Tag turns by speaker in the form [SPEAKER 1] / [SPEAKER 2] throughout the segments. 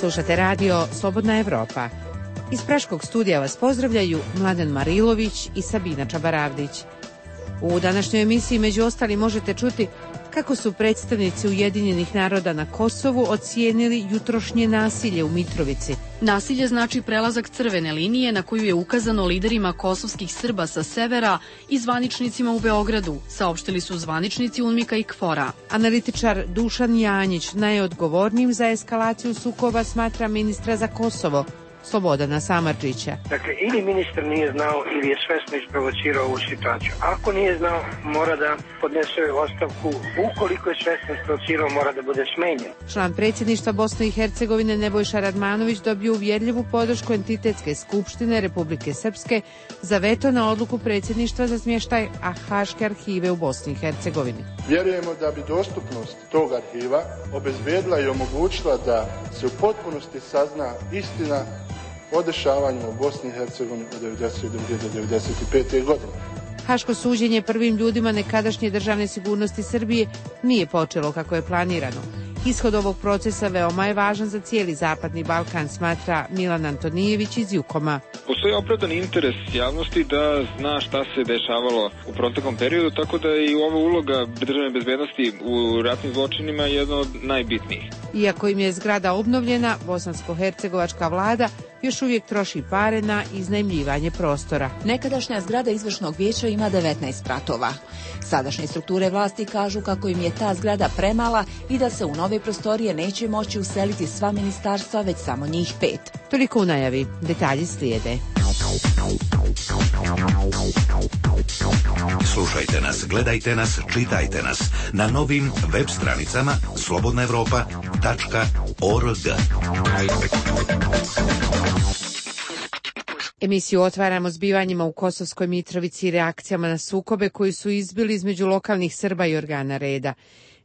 [SPEAKER 1] Slušate radio Slobodna Evropa. Iz Praškog studija vas pozdravljaju Mladen Marilović i Sabina Čabaravdić. U današnjoj emisiji među ostalim možete čuti kako su predstavnici Ujedinjenih naroda na Kosovu ocijenili jutrošnje nasilje u Mitrovici.
[SPEAKER 2] Nasilje znači prelazak crvene linije na koju je ukazano liderima kosovskih Srba sa severa i zvaničnicima u Beogradu, saopštili su zvaničnici UNMIK-a i KFOR-a.
[SPEAKER 1] Analitičar Dušan Janjić najodgovornijim za eskalaciju sukoba smatra ministra za Kosovo, Slobodana Samardžića.
[SPEAKER 3] Dakle, ili ministar nije znao ili je svesno isprovocirao ovu situaciju. Ako nije znao, mora da podnese ostavku. Ukoliko je svesno isprovocirao, mora da bude smenjen.
[SPEAKER 1] Član predsjedništva Bosne i Hercegovine Nebojša Radmanović dobio uvjerljivu podršku Entitetske skupštine Republike Srpske za veto na odluku predsjedništva za smještaj Haške arhive u Bosni i Hercegovini.
[SPEAKER 4] Vjerujemo da bi dostupnost tog arhiva obezbedila i omogućila da se u potpunosti sazna istina o dešavanju u Bosni i Hercegovini od 1992. do 1995. godine.
[SPEAKER 1] Haško suđenje prvim ljudima nekadašnje državne sigurnosti Srbije nije počelo kako je planirano. Ishod ovog procesa veoma je važan za cijeli Zapadni Balkan, smatra Milan Antonijević iz Jukoma.
[SPEAKER 5] Postoji opravdan interes javnosti da zna šta se dešavalo u proteklom periodu, tako da i ova uloga državne bezbednosti u ratnim zločinima je jedna od najbitnijih.
[SPEAKER 1] Iako im je zgrada obnovljena, bosansko-hercegovačka vlada još uvijek troši pare na iznajmljivanje prostora.
[SPEAKER 6] Nekadašnja zgrada izvršnog vijeća ima 19 spratova. Sadašnje strukture vlasti kažu kako im je ta zgrada premala i da se u nove prostorije neće moći useliti sva ministarstva, već samo njih 5.
[SPEAKER 1] Toliko u najavi. Detalji slijede.
[SPEAKER 7] Slušajte nas, gledajte nas, čitajte nas na novim web stranicama slobodnaevropa.org.
[SPEAKER 1] Emisiju otvaramo zbivanjima u Kosovskoj Mitrovici i reakcijama na sukobe koji su izbili između lokalnih Srba i organa reda.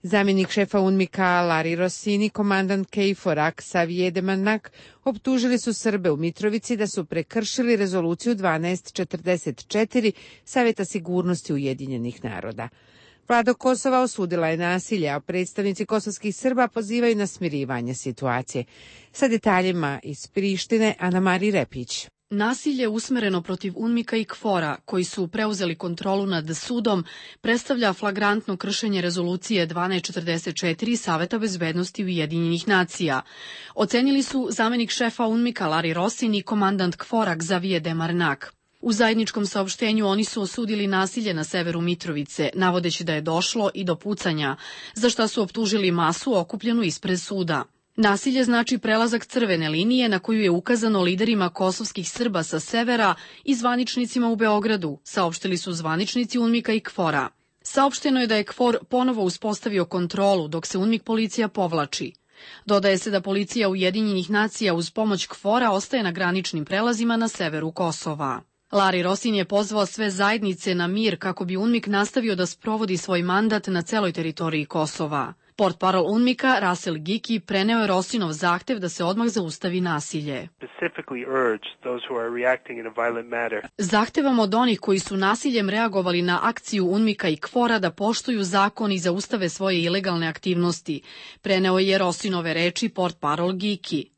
[SPEAKER 1] Zamjenik šefa UNMIK-a Lari Rossini, komandant KFOR-a Xavier Demanak optužili su Srbe u Mitrovici da su prekršili rezoluciju 1244 Savjeta sigurnosti Ujedinjenih naroda. Vlada Kosova osudila je nasilje, a predstavnici kosovskih Srba pozivaju na smirivanje situacije. Sa detaljima iz Prištine, Ana Mari Repić.
[SPEAKER 2] Nasilje usmereno protiv UNMIK-a i KFOR-a, koji su preuzeli kontrolu nad sudom, predstavlja flagrantno kršenje rezolucije 1244 Saveta bezbednosti Ujedinjenih nacija. Ocenili su zamjenik šefa UNMIK-a Lari Rossini i komandant KFOR-a Xavier Demanak. U zajedničkom saopštenju oni su osudili nasilje na severu Mitrovice, navodeći da je došlo i do pucanja, za šta su optužili masu okupljenu ispred suda. Nasilje znači prelazak crvene linije na koju je ukazano liderima kosovskih Srba sa severa i zvaničnicima u Beogradu, saopštili su zvaničnici UNMIK-a i KFOR-a. Saopšteno je da je KFOR ponovo uspostavio kontrolu dok se UNMIK policija povlači. Dodaje se da policija Ujedinjenih nacija uz pomoć KFOR-a ostaje na graničnim prelazima na severu Kosova. Lari Rosin je pozvao sve zajednice na mir kako bi UNMIK nastavio da sprovodi svoj mandat na celoj teritoriji Kosova. Portparol UNMIK-a Rasel Giki preneo je Rosinov zahtev da se odmah zaustavi nasilje. Zahtevam od onih koji su nasiljem reagovali na akciju UNMIK-a i KFOR-a da poštuju zakon i zaustave svoje ilegalne aktivnosti, preneo je Rosinove reči portparol Giki.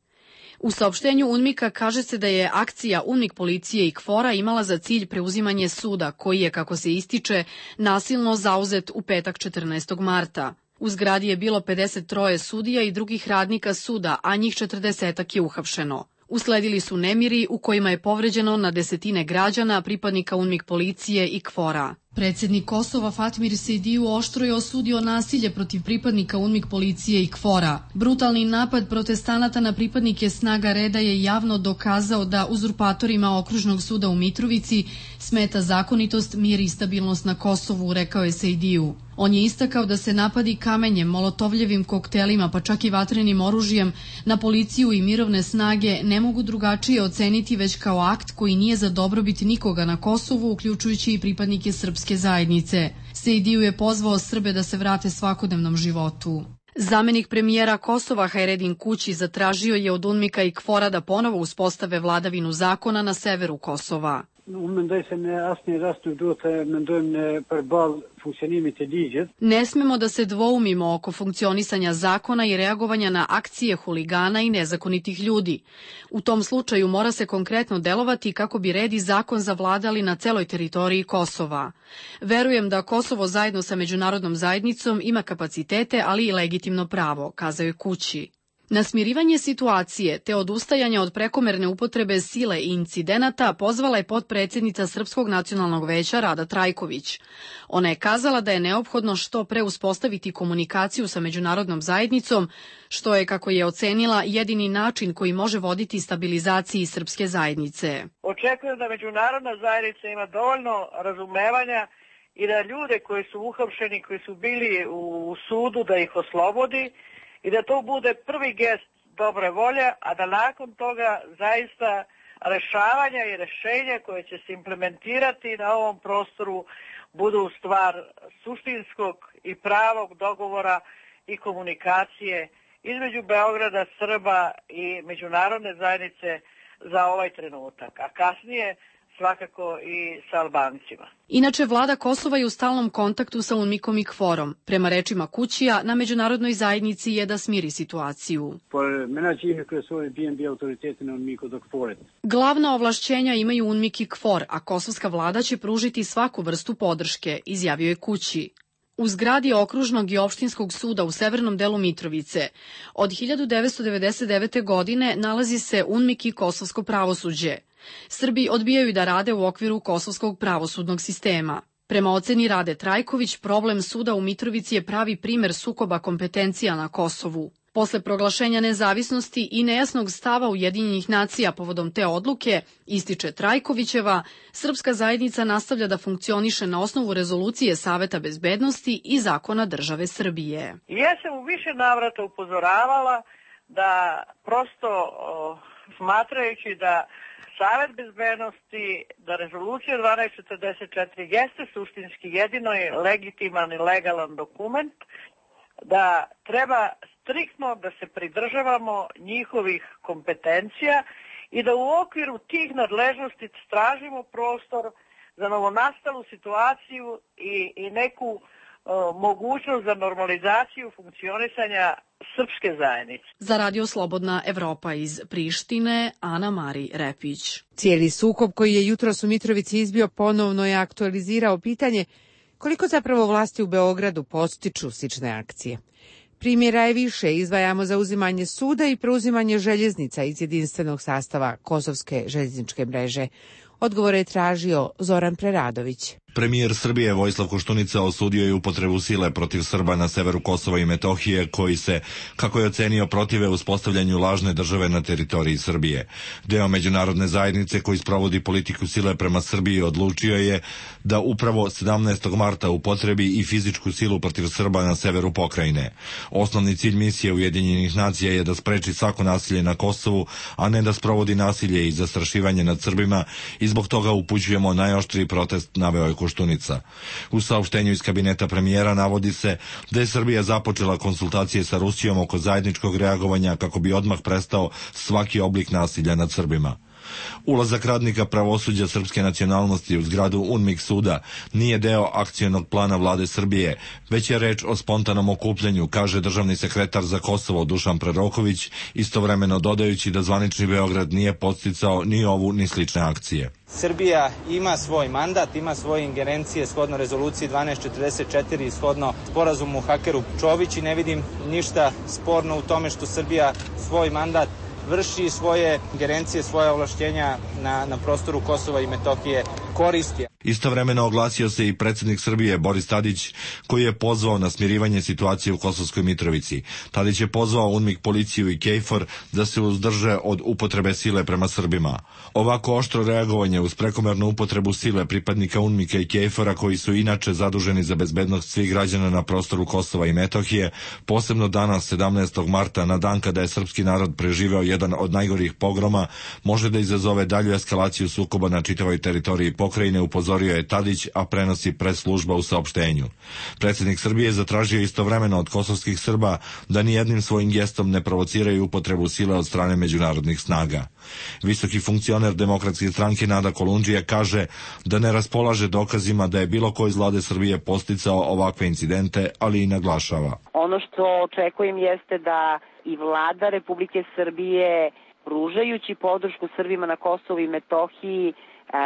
[SPEAKER 2] U saopštenju UNMIK-a kaže se da je akcija UNMIK policije i KFOR-a imala za cilj preuzimanje suda, koji je, kako se ističe, nasilno zauzet u petak 14. marta. U zgradi je bilo 53 sudija i drugih radnika suda, a njih 40 je uhapšeno. Usledili su nemiri u kojima je povređeno na desetine građana, pripadnika UNMIK policije i KFOR-a. Predsjednik Kosova Fatmir Sejdiju oštro je osudio nasilje protiv pripadnika UNMIK policije i KFOR-a. Brutalni napad protestanata na pripadnike snaga reda je javno dokazao da uzurpatorima okružnog suda u Mitrovici smeta zakonitost, mir i stabilnost na Kosovu, rekao je Sejdiju. On je istakao da se napadi kamenjem, molotovljevim koktelima pa čak i vatrenim oružjem na policiju i mirovne snage ne mogu drugačije oceniti već kao akt koji nije za dobrobit nikoga na Kosovu, uključujući i pripadnike srpske zajednice. Sejdiju je pozvao Srbe da se vrate svakodnevnom životu. Zamenik premijera Kosova Hajredin Kući zatražio je od UNMIK-a i KFOR-a da ponovo uspostave vladavinu zakona na severu Kosova. Ne smemo da se dvoumimo oko funkcionisanja zakona i reagovanja na akcije huligana i nezakonitih ljudi. U tom slučaju mora se konkretno delovati kako bi red i zakon zavladali na celoj teritoriji Kosova. Verujem da Kosovo zajedno sa međunarodnom zajednicom ima kapacitete, ali i legitimno pravo, kazao je Kući. Na smirivanje situacije te odustajanja od prekomerne upotrebe sile i incidenata pozvala je potpredsjednica Srpskog nacionalnog veća Rada Trajković. Ona je kazala da je neophodno što pre uspostaviti komunikaciju sa međunarodnom zajednicom, što je, kako je ocenila, jedini način koji može voditi stabilizaciji srpske zajednice.
[SPEAKER 8] Očekujem da međunarodna zajednica ima dovoljno razumevanja i da ljude koji su uhapšeni, koji su bili u sudu, da ih oslobodi, i da to bude prvi gest dobre volje, a da nakon toga zaista rešavanja i rešenja koje će se implementirati na ovom prostoru budu stvar suštinskog i pravog dogovora i komunikacije između Beograda, Srba i međunarodne zajednice za ovaj trenutak, a kasnije svakako i sa Albancima.
[SPEAKER 2] Inače, vlada Kosova je u stalnom kontaktu sa UNMIK-om i KFOR-om. Prema rečima Kućija, na međunarodnoj zajednici je da smiri situaciju. Glavna ovlašćenja imaju UNMIK i KFOR, a kosovska vlada će pružiti svaku vrstu podrške, izjavio je Kući. U zgradi Okružnog i opštinskog suda u severnom delu Mitrovice od 1999. godine nalazi se UNMIK i kosovsko pravosuđe. Srbi odbijaju da rade u okviru kosovskog pravosudnog sistema. Prema oceni Rade Trajković, problem suda u Mitrovici je pravi primer sukoba kompetencija na Kosovu. Posle proglašenja nezavisnosti i nejasnog stava Ujedinjenih nacija povodom te odluke, ističe Trajkovićeva, srpska zajednica nastavlja da funkcioniše na osnovu rezolucije Saveta bezbednosti i zakona države Srbije.
[SPEAKER 8] Ja sam u više navrata upozoravala da prosto smatrajući da Savet bezbednosti, da rezolucija 1244 jeste suštinski jedino i legitiman i legalan dokument, da treba striktno da se pridržavamo njihovih kompetencija i da u okviru tih nadležnosti tražimo prostor za novonastalu situaciju i neku mogućnost za normalizaciju funkcionisanja srpske zajednice.
[SPEAKER 2] Za Radio Slobodna Evropa iz Prištine, Ana Mari Repić.
[SPEAKER 1] Cijeli sukob koji je jutros u Mitrovici izbio ponovno je aktualizirao pitanje koliko zapravo vlasti u Beogradu podstiču slične akcije. Primjera je više, izdvajamo za uzimanje suda i preuzimanje željeznica iz jedinstvenog sastava Kosovske željezničke mreže. Odgovor je tražio Zoran Preradović.
[SPEAKER 9] Premijer Srbije Vojislav Koštunica osudio je upotrebu sile protiv Srba na severu Kosova i Metohije koji se, kako je ocenio, protive uspostavljanju lažne države na teritoriji Srbije. Deo međunarodne zajednice koji sprovodi politiku sile prema Srbiji odlučio je da upravo 17. marta upotrebi i fizičku silu protiv Srba na severu pokrajine. Osnovni cilj misije Ujedinjenih nacija je da spreči svako nasilje na Kosovu, a ne da sprovodi nasilje i zastrašivanje nad Srbima i zbog toga upućujemo najoštriji protest, naveo je Koštunica. U saopštenju iz kabineta premijera navodi se da je Srbija započela konsultacije sa Rusijom oko zajedničkog reagovanja kako bi odmah prestao svaki oblik nasilja nad Srbima. Ulazak radnika pravosuđa srpske nacionalnosti u zgradu UNMIK suda nije deo akcionog plana vlade Srbije, već je reč o spontanom okupljanju, kaže državni sekretar za Kosovo Dušan Proroković, istovremeno dodajući da zvanični Beograd nije podsticao ni ovu ni slične akcije.
[SPEAKER 10] Srbija ima svoj mandat, ima svoje ingerencije shodno rezoluciji 1244 i shodno sporazumu Hakeru Čović i ne vidim ništa sporno u tome što Srbija svoj mandat vrši, svoje ingerencije, svoje ovlašćenja na prostoru Kosova i Metohije koristi.
[SPEAKER 9] Istovremeno oglasio se i predsjednik Srbije Boris Tadić, koji je pozvao na smirivanje situacije u Kosovskoj Mitrovici. Tadić je pozvao UNMIK, policiju i KFOR da se uzdrže od upotrebe sile prema Srbima. Ovako oštro reagovanje uz prekomernu upotrebu sile pripadnika UNMIK-a i KFOR-a, koji su inače zaduženi za bezbednost svih građana na prostoru Kosova i Metohije, posebno danas 17. marta, na dan kada je srpski narod preživeo jedan od najgorih pogroma, može da izazove dalju eskalaciju sukoba na čitavoj teritoriji pokrajine, upozorio je Tadić, a prenosi press-služba u saopštenju. Predsjednik Srbije zatražio istovremeno od kosovskih Srba da nijednim svojim gestom ne provociraju upotrebu sile od strane međunarodnih snaga. Visoki funkcioner Demokratske stranke Nada Kolundžija kaže da ne raspolaže dokazima da je bilo ko iz vlade Srbije posticao ovakve incidente, ali i naglašava.
[SPEAKER 11] Ono što očekujem jeste da i vlada Republike Srbije, pružajući podršku Srbima na Kosovu i Metohiji,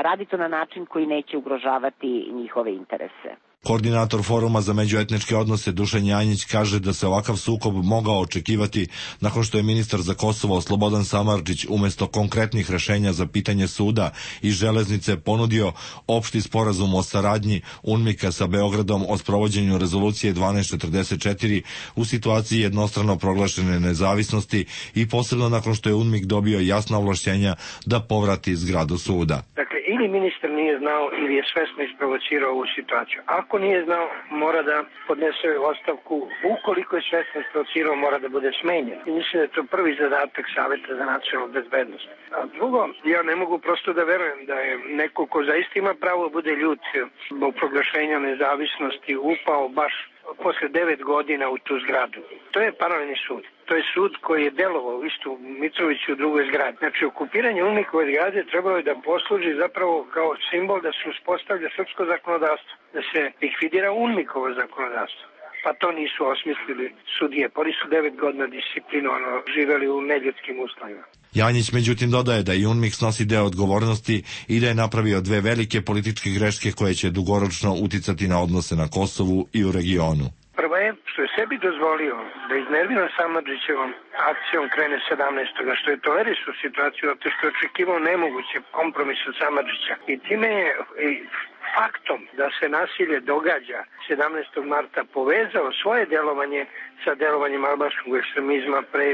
[SPEAKER 11] radi to na način koji neće ugrožavati njihove interese.
[SPEAKER 9] Koordinator Foruma za međuetničke odnose Dušan Janjić kaže da se ovakav sukob mogao očekivati nakon što je ministar za Kosovo Slobodan Samardžić umjesto konkretnih rešenja za pitanje suda i železnice ponudio opšti sporazum o saradnji UNMIK-a sa Beogradom o sprovođenju rezolucije 1244 u situaciji jednostrano proglašene nezavisnosti i posebno nakon što je UNMIK dobio jasna ovlašćenja da povrati zgradu suda.
[SPEAKER 3] Dakle, ili ministar nije znao ili je svesno isprovocirao ovu situaciju. Ako nije znao, mora da podnese ostavku. Ukoliko je svesno isprovocirao, mora da bude smenjen. I mislim da je to prvi zadatak Saveta za nacionalnu bezbednost. A drugo, ja ne mogu prosto da verujem da je neko ko zaista ima pravo da bude ljut zbog proglašenja nezavisnosti upao baš posle 9 godina u tu zgradu. To je paralelni sud. To je sud koji je delovao isto u Mitroviću u drugoj zgradi. Znači, okupiranje UNMIK-ove zgrade trebalo je da posluži zapravo kao simbol da se uspostavlja srpsko zakonodavstvo, da se likvidira UNMIK-ovo zakonodavstvo. Pa to nisu osmislili sudije. Oni su 9 godina disciplinovano živeli u neljudskim uslovima.
[SPEAKER 9] Janjić međutim dodaje da i UNMIK snosi deo odgovornosti i da je napravio dve velike političke greške koje će dugoročno uticati na odnose na Kosovu i u regionu.
[SPEAKER 3] Prvo je što je sebi dozvolio da iznerviran Samardžićevom akcijom krene 17. što je tolerisao situaciju zato što je očekivao nemoguće kompromis od Samardžića. I time je faktom da se nasilje događa 17. marta povezao svoje delovanje sa delovanjem albanskog ekstremizma pre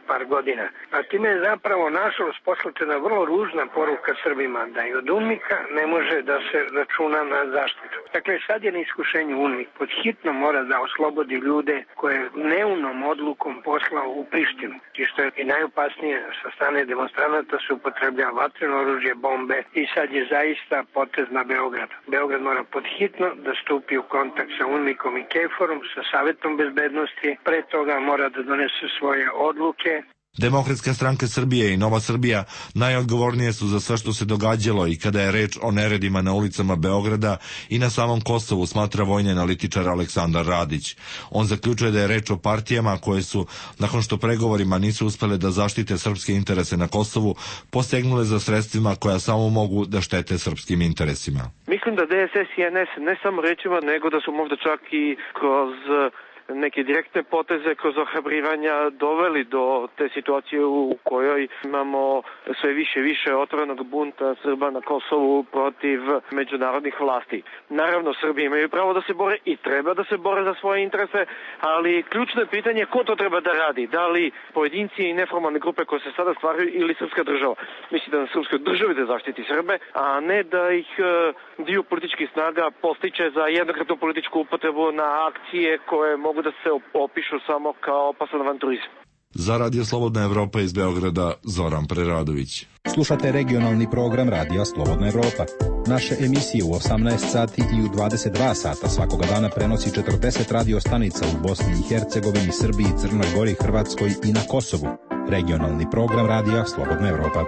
[SPEAKER 3] par godina. A time je zapravo nažalost poslata vrlo ružna poruka Srbima da i od UNMIK-a ne može da se računa na zaštitu. Dakle, sad je na iskušenju UNMIK. Pod hitno mora da oslobodi ljude koje dnevnom odlukom poslao u Prištinu. I što je i najopasnije, sa strane demonstranata se upotrebljava vatreno oružje, bombe i sad je zaista potez na Beograd. Beograd mora pod hitno da stupi u kontakt sa UNMIK-om i KFOR-om, sa Savetom bezbednosti. Pre toga mora da donese svoje odluke.
[SPEAKER 9] Demokratska stranka Srbije i Nova Srbija najodgovornije su za sve što se događalo i kada je reč o neredima na ulicama Beograda i na samom Kosovu, smatra vojni analitičar Aleksandar Radić. On zaključuje da je reč o partijama koje su, nakon što pregovorima nisu uspele da zaštite srpske interese na Kosovu, posegnule za sredstvima koja samo mogu da štete srpskim interesima.
[SPEAKER 12] Mislim da DSS i NS ne samo rečima, nego da su možda čak i kroz neke direktne poteze kroz ohrabrivanja doveli do te situacije u kojoj imamo sve više otvorenog bunta Srba na Kosovu protiv međunarodnih vlasti. Naravno, Srbi imaju pravo da se bore i treba da se bore za svoje interese, ali ključno je pitanje ko to treba da radi. Da li pojedinci i neformalne grupe koje se sada stvaraju ili srpska država. Mislim da na srpskoj državi da zaštiti Srbe, a ne da ih dio političkih snaga postiče za jednokratnu političku upotrebu na akcije koje mogu da se opišu samo kao opasan avanturizam.
[SPEAKER 9] Za Radio Slobodna Evropa iz Beograda, Zoran Preradović.
[SPEAKER 13] Slušate regionalni program Radija Slobodna Evropa. Naše emisije u 18 sati i u 22 sata svakoga dana prenosi 40 radio stanica u Bosni i Hercegovini, Srbiji, Crnoj Gori, Hrvatskoj i na Kosovu. Regionalni program Radija Slobodna Evropa.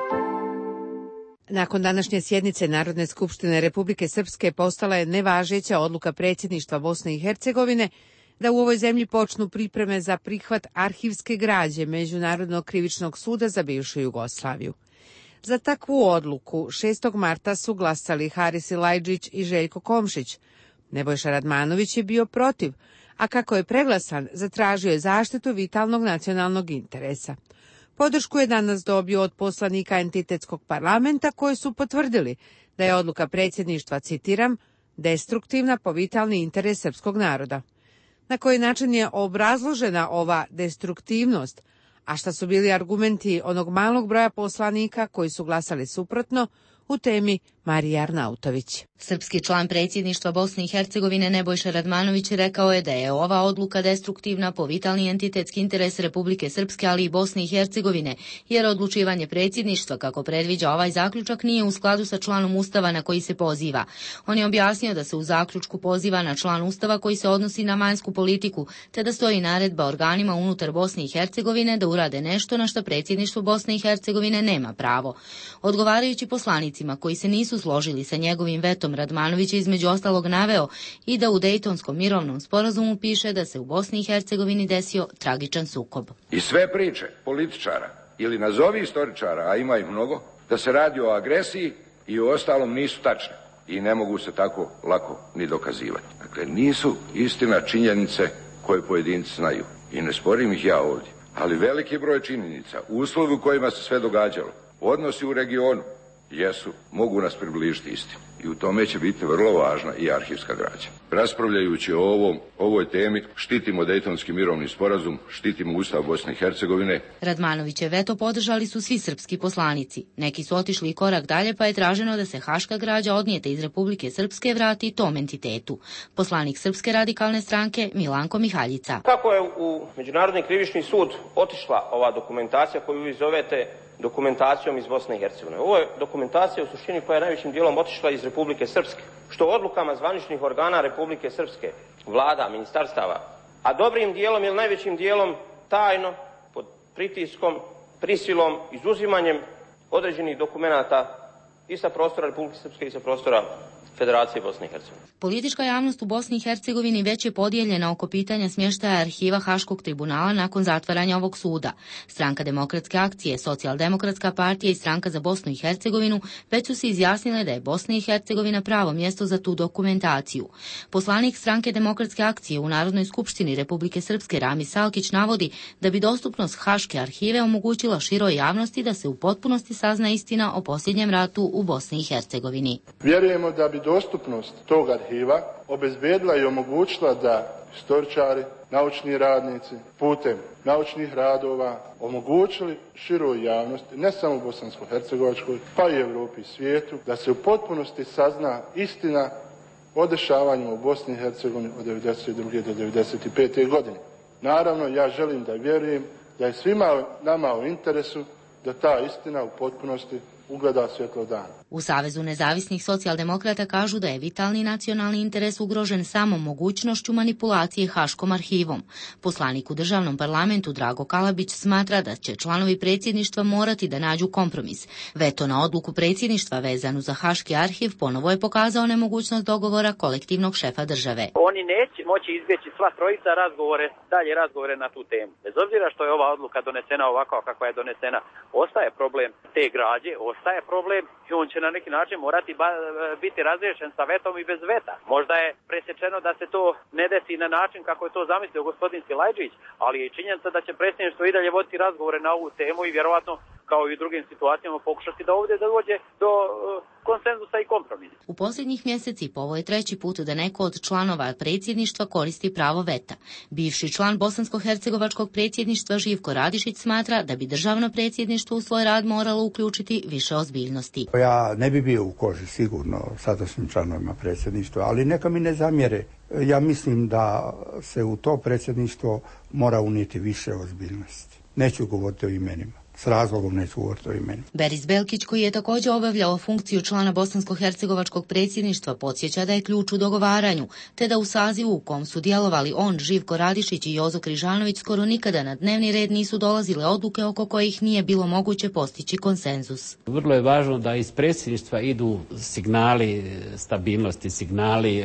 [SPEAKER 1] Nakon današnje sjednice Narodne skupštine Republike Srpske postala je nevažeća odluka predsjedništva Bosne i Hercegovine da u ovoj zemlji počnu pripreme za prihvat arhivske građe Međunarodnog krivičnog suda za bivšu Jugoslaviju. Za takvu odluku 6. marta su glasali Haris Silajdžić i Željko Komšić. Nebojša Radmanović je bio protiv, a kako je preglasan, zatražio je zaštitu vitalnog nacionalnog interesa. Podršku je danas dobio od poslanika entitetskog parlamenta koji su potvrdili da je odluka predsjedništva, citiram, destruktivna po vitalni interes srpskog naroda. Na koji način je obrazložena ova destruktivnost, a šta su bili argumenti onog malog broja poslanika koji su glasali suprotno, U temi Marija Arnautović.
[SPEAKER 14] Srpski član predsjedništva Bosne i Hercegovine Nebojša Radmanović rekao je da je ova odluka destruktivna po vitalni entitetski interes Republike Srpske, ali i Bosne i Hercegovine, jer odlučivanje predsjedništva, kako predviđa ovaj zaključak, nije u skladu sa članom Ustava na koji se poziva. On je objasnio da se u zaključku poziva na član Ustava koji se odnosi na vanjsku politiku, te da stoji naredba organima unutar Bosne i Hercegovine da urade nešto na što predsjedništvo Bosne i Hercegovine nema pravo. Odgovarajući poslanicima koji se nisu složili sa njegovim vetom, Radmanović je između ostalog naveo i da u Dejtonskom mirovnom sporazumu piše da se u Bosni i Hercegovini desio tragičan sukob.
[SPEAKER 15] I sve priče političara ili nazovi istoričara, a ima ih mnogo, da se radi o agresiji i o ostalom nisu tačne i ne mogu se tako lako ni dokazivati. Dakle, nisu istina činjenice koje pojedinci znaju i ne sporim ih ja ovdje, ali veliki broj činjenica, uslovi u kojima se sve događalo, odnosi u regionu, mogu nas približiti istini. I u tome će biti vrlo važna i arhivska građa. Raspravljajući o ovoj temi, štitimo Dejtonski mirovni sporazum, štitimo Ustav Bosne i Hercegovine.
[SPEAKER 14] Radmanoviće veto podržali su svi srpski poslanici. Neki su otišli i korak dalje, pa je traženo da se haška građa odnijeta iz Republike Srpske vrati tom entitetu. Poslanik Srpske radikalne stranke Milanko Mihaljica.
[SPEAKER 16] Kako je u Međunarodni krivični sud otišla ova dokumentacija koju vi zovete dokumentacijom iz Bosne i Hercegovine? Ovo je dokumentacija u suštini koja je najvećim dijelom otišla iz Republike Srpske, što odlukama zvaničnih organa Republike Srpske, vlada, ministarstava, a dobrim dijelom ili najvećim dijelom tajno, pod pritiskom, prisilom, izuzimanjem određenih dokumenata i sa prostora Republike Srpske i sa prostora Federacije Bosne i Hercegovine.
[SPEAKER 14] Politička javnost u Bosni i Hercegovini već je podijeljena oko pitanja smještaja arhiva Haškog tribunala nakon zatvaranja ovog suda. Stranka Demokratske akcije, Socijaldemokratska partija i Stranka za Bosnu i Hercegovinu već su se izjasnile da je Bosna i Hercegovina pravo mjesto za tu dokumentaciju. Poslanik Stranke Demokratske akcije u Narodnoj skupštini Republike Srpske Rami Salkić navodi da bi dostupnost Haške arhive omogućila široj javnosti da se u potpunosti sazna istina o posljednjem ratu u Bosni i Hercegovini.
[SPEAKER 4] Vjerujemo da bi dostupnost tog arhiva obezbedila i omogućila da istoričari, naučni radnici putem naučnih radova omogućili široj javnosti, ne samo u Bosansko-Hercegovačkoj, pa i Europi i svijetu, da se u potpunosti sazna istina o dešavanjima u Bosni i Hercegovini od 1992. do 1995. godine. Naravno, ja želim da vjerujem da je svima nama u interesu da ta istina u potpunosti ugleda svjetlo dana.
[SPEAKER 14] U Savezu nezavisnih socijaldemokrata kažu da je vitalni nacionalni interes ugrožen samo mogućnošću manipulacije Haškom arhivom. Poslanik u državnom parlamentu Drago Kalabić smatra da će članovi predsjedništva morati da nađu kompromis. Veto na odluku predsjedništva vezanu za Haški arhiv ponovo je pokazao nemogućnost dogovora kolektivnog šefa države.
[SPEAKER 17] Oni neće moći izbjeći sva trojica dalje razgovore na tu temu. Bez obzira što je ova odluka donesena ovako kako je donesena, ostaje problem te građe, ostaje problem i on će na neki način morati biti razriješen sa vetom i bez veta. Možda je presječeno da se to ne desi na način kako je to zamislio gospodin Silajđić, ali je činjenica da će predsjedništvo i dalje voditi razgovore na ovu temu i vjerovatno kao i u drugim situacijama pokušati da ovdje dođe do konsenzusa i kompromisa.
[SPEAKER 14] U posljednjih mjeseci ovo je treći put da neko od članova predsjedništva koristi pravo veta. Bivši član Bosansko-hercegovačkog predsjedništva Živko Radišić smatra da bi državno predsjedništvo u svoj rad moralo uključiti više ozbiljnosti.
[SPEAKER 18] Ja ne bi bio u koži sigurno sadašnjim članovima predsjedništva, ali neka mi ne zamjere. Ja mislim da se u to predsjedništvo mora unijeti više ozbiljnosti. Neću govoriti o imenima. S razlogom neću govoriti o imenu.
[SPEAKER 14] Beris Belkić, koji je također obavljao funkciju člana Bosansko-hercegovačkog predsjedništva, podsjeća da je ključ u dogovaranju, te da u sazivu u kom su djelovali on, Živko Radišić i Jozo Križanović skoro nikada na dnevni red nisu dolazile odluke oko kojih nije bilo moguće postići konsenzus.
[SPEAKER 19] Vrlo je važno da iz predsjedništva idu signali stabilnosti, signali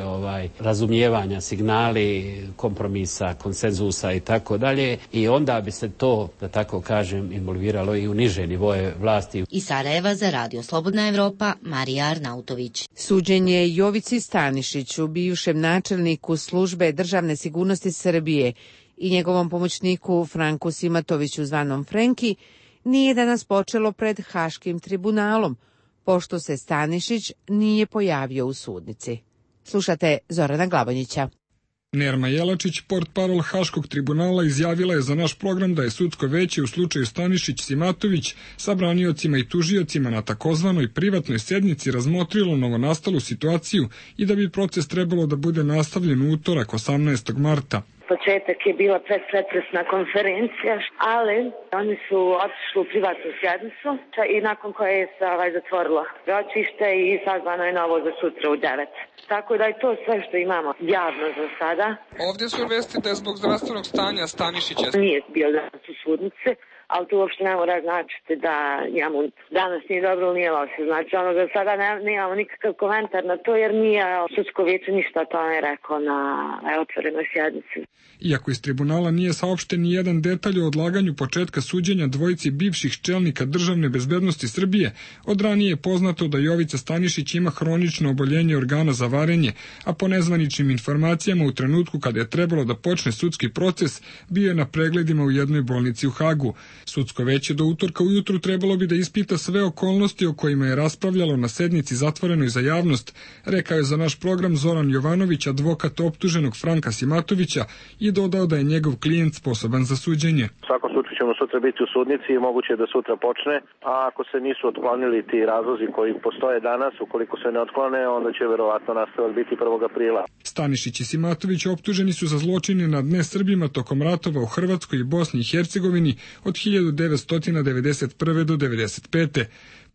[SPEAKER 19] razumijevanja, signali kompromisa, konsenzusa i tako dalje, i onda bi se to, da tako kažem, involviralo i u niže nivoje vlasti.
[SPEAKER 14] Iz Sarajeva za Radio Slobodna Evropa, Marija Arnautović.
[SPEAKER 1] Suđenje Jovici Stanišiću, bivšem načelniku službe državne sigurnosti Srbije, i njegovom pomoćniku Franku Simatoviću zvanom Frenki, nije danas počelo pred Haškim tribunalom, pošto se Stanišić nije pojavio u sudnici. Slušate Zorana Glavonjića.
[SPEAKER 20] Nerma Jelačić, portparol Haškog tribunala, izjavila je za naš program da je sudsko veće u slučaju Stanišić-Simatović sa braniocima i tužiocima na takozvanoj privatnoj sednici razmotrilo novonastalu situaciju i da bi proces trebalo da bude nastavljen u utorak 18. marta.
[SPEAKER 21] Početak je bila pretresna konferencija, ali oni su otišli u privatnu sjednicu i nakon koje je se zatvorilo ročište i sazvano je novo za sutra u 9. Tako da je to sve što imamo javno za sada.
[SPEAKER 22] Ovdje su vesti da je zbog zdravstvenog stanja Stanišića.
[SPEAKER 21] Nije bio danas u sudnici, ali to uopšte ne mora značiti da njemu danas nije dobro ili nije loše. Znači za sada nemamo nikakav komentar na to jer nije sudsko vijeće ništa o tome rekao na otvorenoj sjednici.
[SPEAKER 20] Iako iz tribunala nije saopšten ni jedan detalj o odlaganju početka suđenja dvojici bivših čelnika državne bezbednosti Srbije, od ranije je poznato da Jovica Stanišić ima hronično oboljenje organa za varenje, a po nezvaničnim informacijama u trenutku kada je trebalo da počne sudski proces, bio je na pregledima u jednoj bolnici u Hagu. Sudsko veće do utorka ujutru trebalo bi da ispita sve okolnosti o kojima je raspravljalo na sednici zatvorenoj za javnost, rekao je za naš program Zoran Jovanović, advokat optuženog Franka Simatovića, i dodao da je njegov klijent sposoban za suđenje.
[SPEAKER 23] U svakom slučaju ćemo sutra biti u sudnici i moguće je da sutra počne, a ako se nisu otklonili ti razlozi koji postoje danas, ukoliko se ne otklone, onda će verovatno nastavak biti 1. aprila. Stanišić i Simatović optuženi su za zločine nad nesrbima tokom ratova u Hrvatskoj i Bosni i Hercegovini od 1991. do 1995.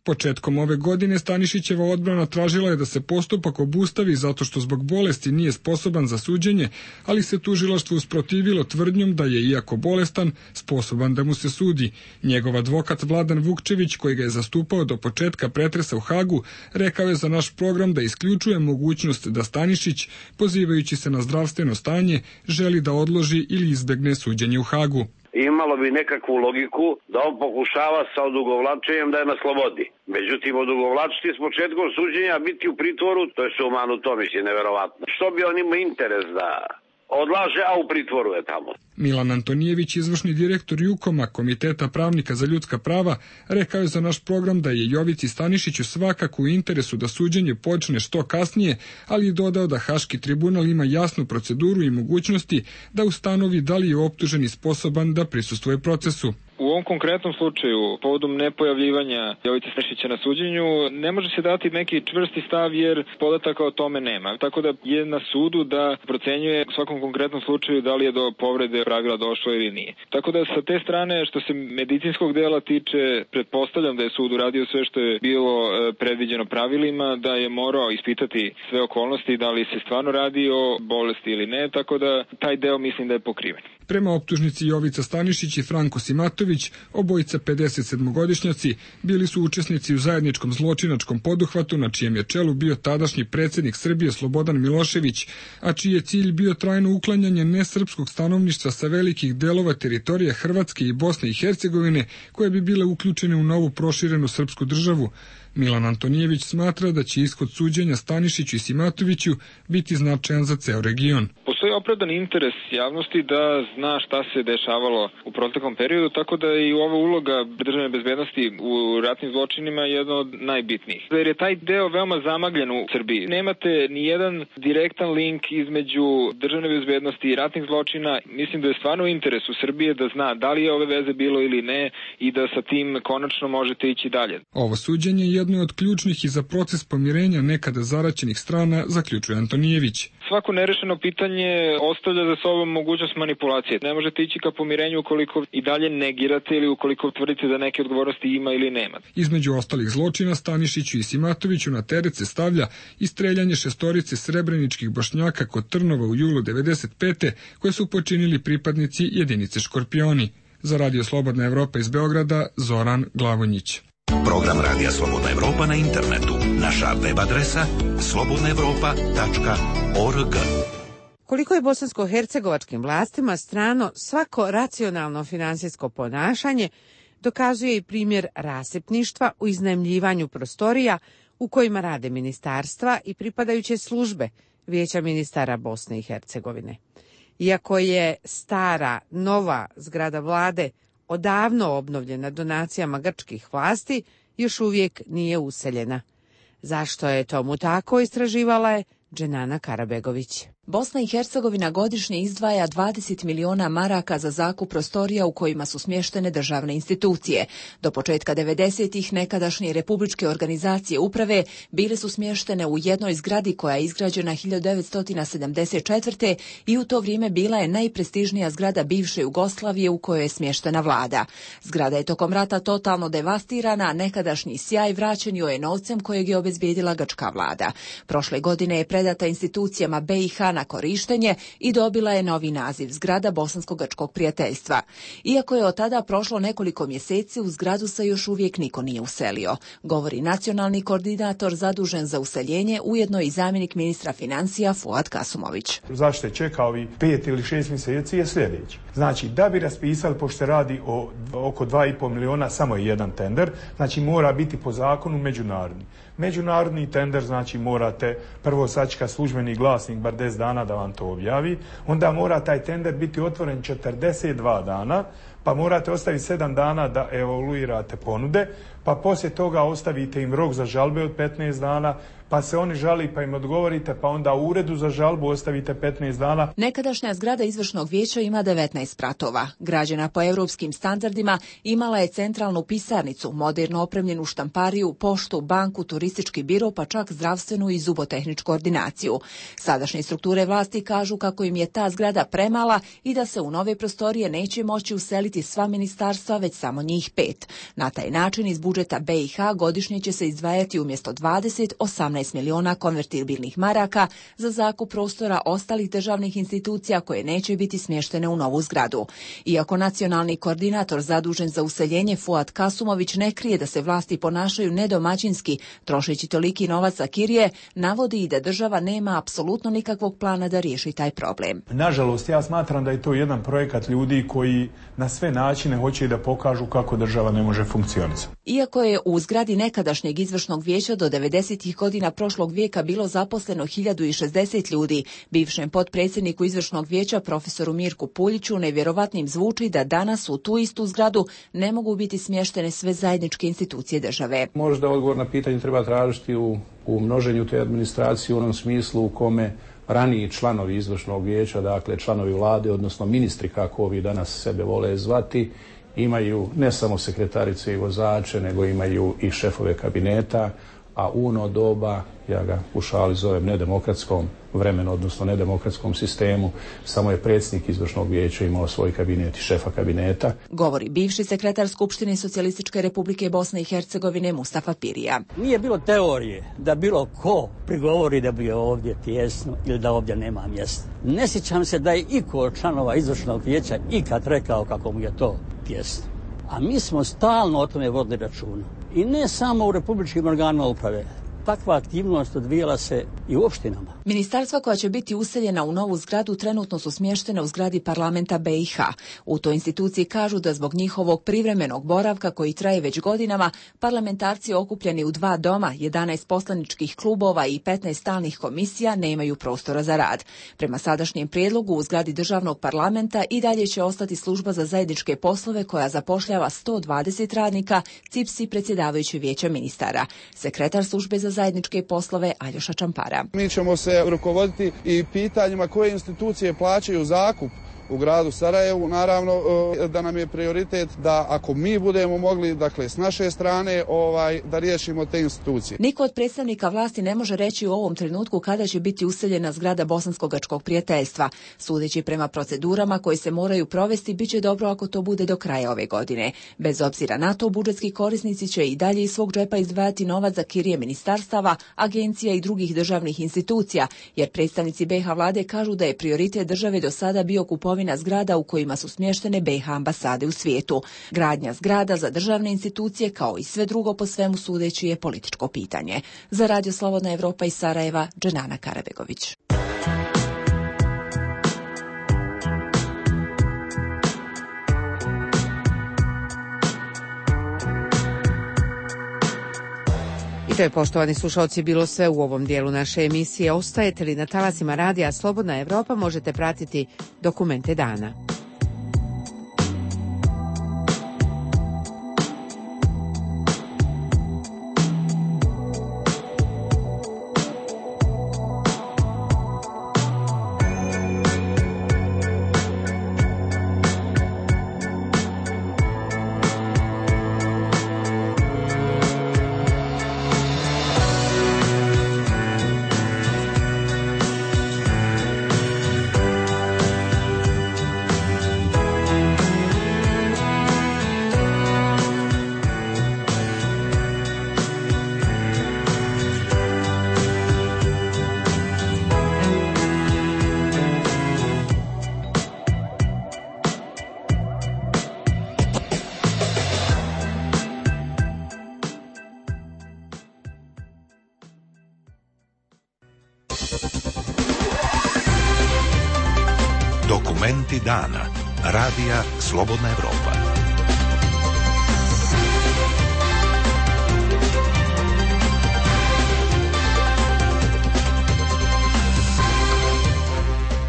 [SPEAKER 23] Početkom ove godine Stanišićeva odbrana tražila je da se postupak obustavi zato što zbog bolesti nije sposoban za suđenje, ali se tužilaštvo usprotivilo tvrdnjom da je, iako bolestan, sposoban da mu se sudi. Njegov advokat Vladan Vukčević, koji ga je zastupao do početka pretresa u Hagu, rekao je za naš program da isključuje mogućnost da Stanišić, pozivajući se na zdravstveno stanje, želi da odloži ili izbegne suđenje u Hagu.
[SPEAKER 24] Imalo bi nekakvu logiku da on pokušava sa odugovlačenjem da je na slobodi. Međutim, odugovlačiti s početkom suđenja, biti u pritvoru, to je sumanuto, mislim, neverovatno. Što bi on imao interes da odlaže, a u pritvoru je tamo?
[SPEAKER 20] Milan Antonijević, izvršni direktor Jukoma, Komiteta pravnika za ljudska prava, rekao je za naš program da je Jovici Stanišiću svakako u interesu da suđenje počne što kasnije, ali je dodao da Haški tribunal ima jasnu proceduru i mogućnosti da ustanovi da li je optuženi sposoban da prisustvuje procesu.
[SPEAKER 5] U ovom konkretnom slučaju, povodom nepojavljivanja Jovice Stanišića na suđenju, ne može se dati neki čvrsti stav jer podataka o tome nema. Tako da je na sudu da procenjuje u svakom konkretnom slučaju da li je do povrede pravila došlo ili nije. Tako da sa te strane, što se medicinskog dela tiče, pretpostavljam da je sud uradio sve što je bilo predviđeno pravilima, da je morao ispitati sve okolnosti, da li se stvarno radi o bolesti ili ne, tako da taj deo mislim da je pokriven.
[SPEAKER 20] Prema optužnici Jovica Stanišić i Franko Simatović, obojica 57-godišnjaci, bili su učesnici u zajedničkom zločinačkom poduhvatu na čijem je čelu bio tadašnji predsjednik Srbije Slobodan Milošević, a čiji je cilj bio trajno uklanjanje nesrpskog stanovništva sa velikih delova teritorije Hrvatske i Bosne i Hercegovine, koje bi bile uključene u novu proširenu srpsku državu. Milan Antonijević smatra da će ishod suđenja Stanišiću i Simatoviću biti značajan za ceo region.
[SPEAKER 5] Postoji opravdan interes javnosti da zna šta se dešavalo u proteklom periodu, tako da i ova uloga državne bezbednosti u ratnim zločinima je jedna od najbitnijih. Jer je taj deo veoma zamagljen u Srbiji. Nemate ni jedan direktan link između državne bezbednosti i ratnih zločina. Mislim da je stvarno u interesu Srbije da zna da li je ove veze bilo ili ne i da sa tim konačno možete ići dalje.
[SPEAKER 20] Ovo suđenje je jedno od ključnih i za proces pomirenja nekada zaraćenih strana, zaključuje Antonijević.
[SPEAKER 5] Svako nerešeno pitanje ostavlja za sobom mogućnost manipulacije. Ne možete ići ka pomirenju ukoliko i dalje negirate ili ukoliko tvrdite da neke odgovornosti ima ili nema.
[SPEAKER 20] Između ostalih zločina Stanišiću i Simatoviću na teret se stavlja i streljanje 6 srebreničkih Bošnjaka kod Trnova u julu 1995. koje su počinili pripadnici jedinice Škorpioni. Za Radio Slobodna Evropa iz Beograda, Zoran Glavonjić.
[SPEAKER 7] Program Radija Slobodna Evropa na internetu. Naša web adresa slobodnaevropa.org.
[SPEAKER 1] Koliko je bosansko-hercegovačkim vlastima strano svako racionalno finansijsko ponašanje, dokazuje i primjer rasipništva u iznajmljivanju prostorija u kojima rade ministarstva i pripadajuće službe Vijeća ministara Bosne i Hercegovine. Iako je stara, nova zgrada vlade odavno obnovljena donacijama grčkih vlasti, još uvijek nije useljena. Zašto je tomu tako, istraživala je Dženana Karabegović.
[SPEAKER 2] Bosna i Hercegovina godišnje izdvaja 20 miliona maraka za zakup prostorija u kojima su smještene državne institucije. Do početka 90-ih nekadašnje republičke organizacije uprave bile su smještene u jednoj zgradi koja je izgrađena 1974. i u to vrijeme bila je najprestižnija zgrada bivše Jugoslavije u kojoj je smještena vlada. Zgrada je tokom rata totalno devastirana, a nekadašnji sjaj vraćen joj je novcem kojeg je obezbijedila grčka vlada. Prošle godine je predata institucijama BiH na korištenje i dobila je novi naziv zgrada Bosansko-grčkog prijateljstva. Iako je od tada prošlo nekoliko mjeseci, u zgradu se još uvijek niko nije uselio, govori nacionalni koordinator zadužen za useljenje, ujedno i zamjenik ministra financija Fuad Kasumović.
[SPEAKER 6] Zašto je čekao ovi 5 ili 6 mjeseci je sljedeći. Znači, da bi raspisali, pošto se radi o oko 2,5 miliona, samo je jedan tender, znači mora biti po zakonu međunarodni. Međunarodni tender, znači morate prvo sačekati službeni glasnik bar 10 dana da vam to objavi, onda mora taj tender biti otvoren 42 dana, pa morate ostaviti 7 dana da evaluirate ponude, pa poslije toga ostavite im rok za žalbe od 15 dana, pa se oni žali pa im odgovorite, pa onda u uredu za žalbu ostavite 15 dana.
[SPEAKER 2] Nekadašnja zgrada izvršnog vijeća ima 19 spratova. Građena po europskim standardima, imala je centralnu pisarnicu, moderno opremljenu štampariju, poštu, banku, turistički biro, pa čak zdravstvenu i zubotehničku ordinaciju. Sadašnje strukture vlasti kažu kako im je ta zgrada premala i da se u nove prostorije neće moći useliti sva ministarstva, već samo njih 5. Na taj način iz budžeta BiH godišnje će se izdvajati umjesto 18 miliona konvertibilnih maraka za zakup prostora ostalih državnih institucija koje neće biti smještene u novu zgradu. Iako nacionalni koordinator zadužen za useljenje Fuad Kasumović ne krije da se vlasti ponašaju nedomaćinski, trošeći toliki novac za kirije, navodi i da država nema apsolutno nikakvog plana da riješi taj problem.
[SPEAKER 6] Nažalost, ja smatram da je to jedan projekat ljudi koji na sve načine hoće da pokažu kako država ne može funkcionisati.
[SPEAKER 2] Iako je u zgradi nekadašnjeg izvršnog vijeća do 90-ih godina prošlog vijeka bilo zaposleno 1060 ljudi, bivšem potpredsjedniku izvršnog vijeća profesoru Mirku Puljiću nevjerovatnim zvuči da danas u tu istu zgradu ne mogu biti smještene sve zajedničke institucije države.
[SPEAKER 8] Možda odgovor na pitanje treba tražiti u množenju te administracije u onom smislu u kome raniji članovi izvršnog vijeća, dakle članovi vlade, odnosno ministri kako ovi danas sebe vole zvati, imaju ne samo sekretarice i vozače, nego imaju i šefove kabineta, a u ono doba, ja ga u šali zovem nedemokratskom vremenu, odnosno nedemokratskom sistemu, samo je predsjednik izvršnog vijeća imao svoj kabinet i šefa kabineta.
[SPEAKER 2] Govori bivši sekretar Skupštine Socijalističke Republike Bosne i Hercegovine Mustafa Pirija.
[SPEAKER 10] Nije bilo teorije da bilo ko prigovori da bi je ovdje tijesno ili da ovdje nema mjesta. Ne sjećam se da je iko od članova izvršnog vijeća ikad rekao kako mu je to tijesno. A mi smo stalno o tome vodili računa. I ne samo u republičkim organima uprave. Takva aktivnost odvijala se i u opštinama.
[SPEAKER 2] Ministarstva koja će biti useljena u novu zgradu trenutno su smještene u zgradi parlamenta BiH. U toj instituciji kažu da zbog njihovog privremenog boravka koji traje već godinama, parlamentarci okupljeni u 2 doma, 11 poslaničkih klubova i 15 stalnih komisija nemaju prostora za rad. Prema sadašnjem prijedlogu u zgradi državnog parlamenta i dalje će ostati služba za zajedničke poslove koja zapošljava 120 radnika, CIPSI predsjedavajući vijeća ministara. Sekretar službe za zajedničke poslove Aljoša Čampara.
[SPEAKER 25] Mi ćemo se rukovoditi i pitanjima koje institucije plaćaju zakup u gradu Sarajevu. Naravno da nam je prioritet da ako mi budemo mogli, dakle s naše strane, da riješimo te institucije.
[SPEAKER 2] Niko od predstavnika vlasti ne može reći u ovom trenutku kada će biti useljena zgrada Bosansko-grčkog prijateljstva. Sudeći prema procedurama koje se moraju provesti, bit će dobro ako to bude do kraja ove godine. Bez obzira na to, budžetski korisnici će i dalje iz svog džepa izdvajati novac za kirije ministarstava, agencija i drugih državnih institucija, jer predstavnici BiH vlade kažu da je prioritet države do sada bio kupovina zgrada u kojima su smještene BiH ambasade u svijetu. Gradnja zgrada za državne institucije, kao i sve drugo po svemu sudeći, je političko pitanje. Za Radio Slobodna Evropa iz Sarajeva, Dženana Karabegović.
[SPEAKER 1] I to je, poštovani slušalci, bilo sve u ovom dijelu naše emisije. Ostajete li na talasima radija Slobodna Evropa, možete pratiti Dokumente dana.
[SPEAKER 7] Dokumenti dana. Radija Slobodna Evropa.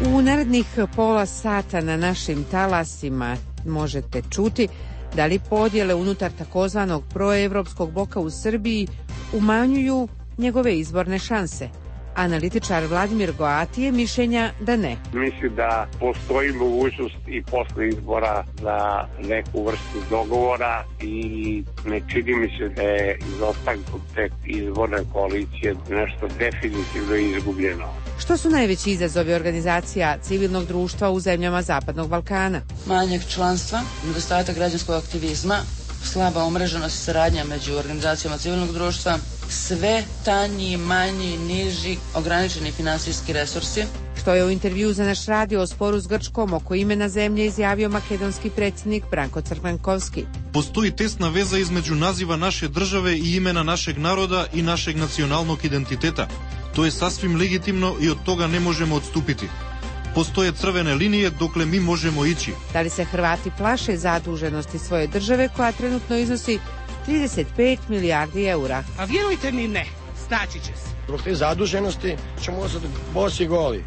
[SPEAKER 1] U narednih pola sata na našim talasima možete čuti da li podjele unutar takozvanog proevropskog bloka u Srbiji umanjuju njegove izborne šanse. Analitičar Vladimir Goati je mišljenja da ne.
[SPEAKER 3] Mislim da postoji mogućnost i posle izbora za neku vrstu dogovora i ne čini mi se da je izostankom te izborne koalicije nešto definitivno izgubljeno.
[SPEAKER 1] Što su najveći izazovi organizacija civilnog društva u zemljama Zapadnog Balkana?
[SPEAKER 9] Manjak članstva, nedostatak građanskog aktivizma, slaba umreženost i saradnja među organizacijama civilnog društva, sve tanji, manji, niži, ograničeni finansijski resursi.
[SPEAKER 1] Što je u intervju za naš radio o sporu s Grčkom oko imena zemlje izjavio makedonski predsjednik Branko Crvenkovski.
[SPEAKER 11] Postoji tesna veza između naziva naše države i imena našeg naroda i našeg nacionalnog identiteta. To je sasvim legitimno i od toga ne možemo odstupiti. Postoje crvene linije dokle mi možemo ići.
[SPEAKER 1] Da li se Hrvati plaše zaduženosti svoje države koja trenutno iznosi 35 milijardi eura?
[SPEAKER 12] A vjerujte mi ne, snaći će se.
[SPEAKER 13] Zbog te zaduženosti ćemo ostati bosi goli.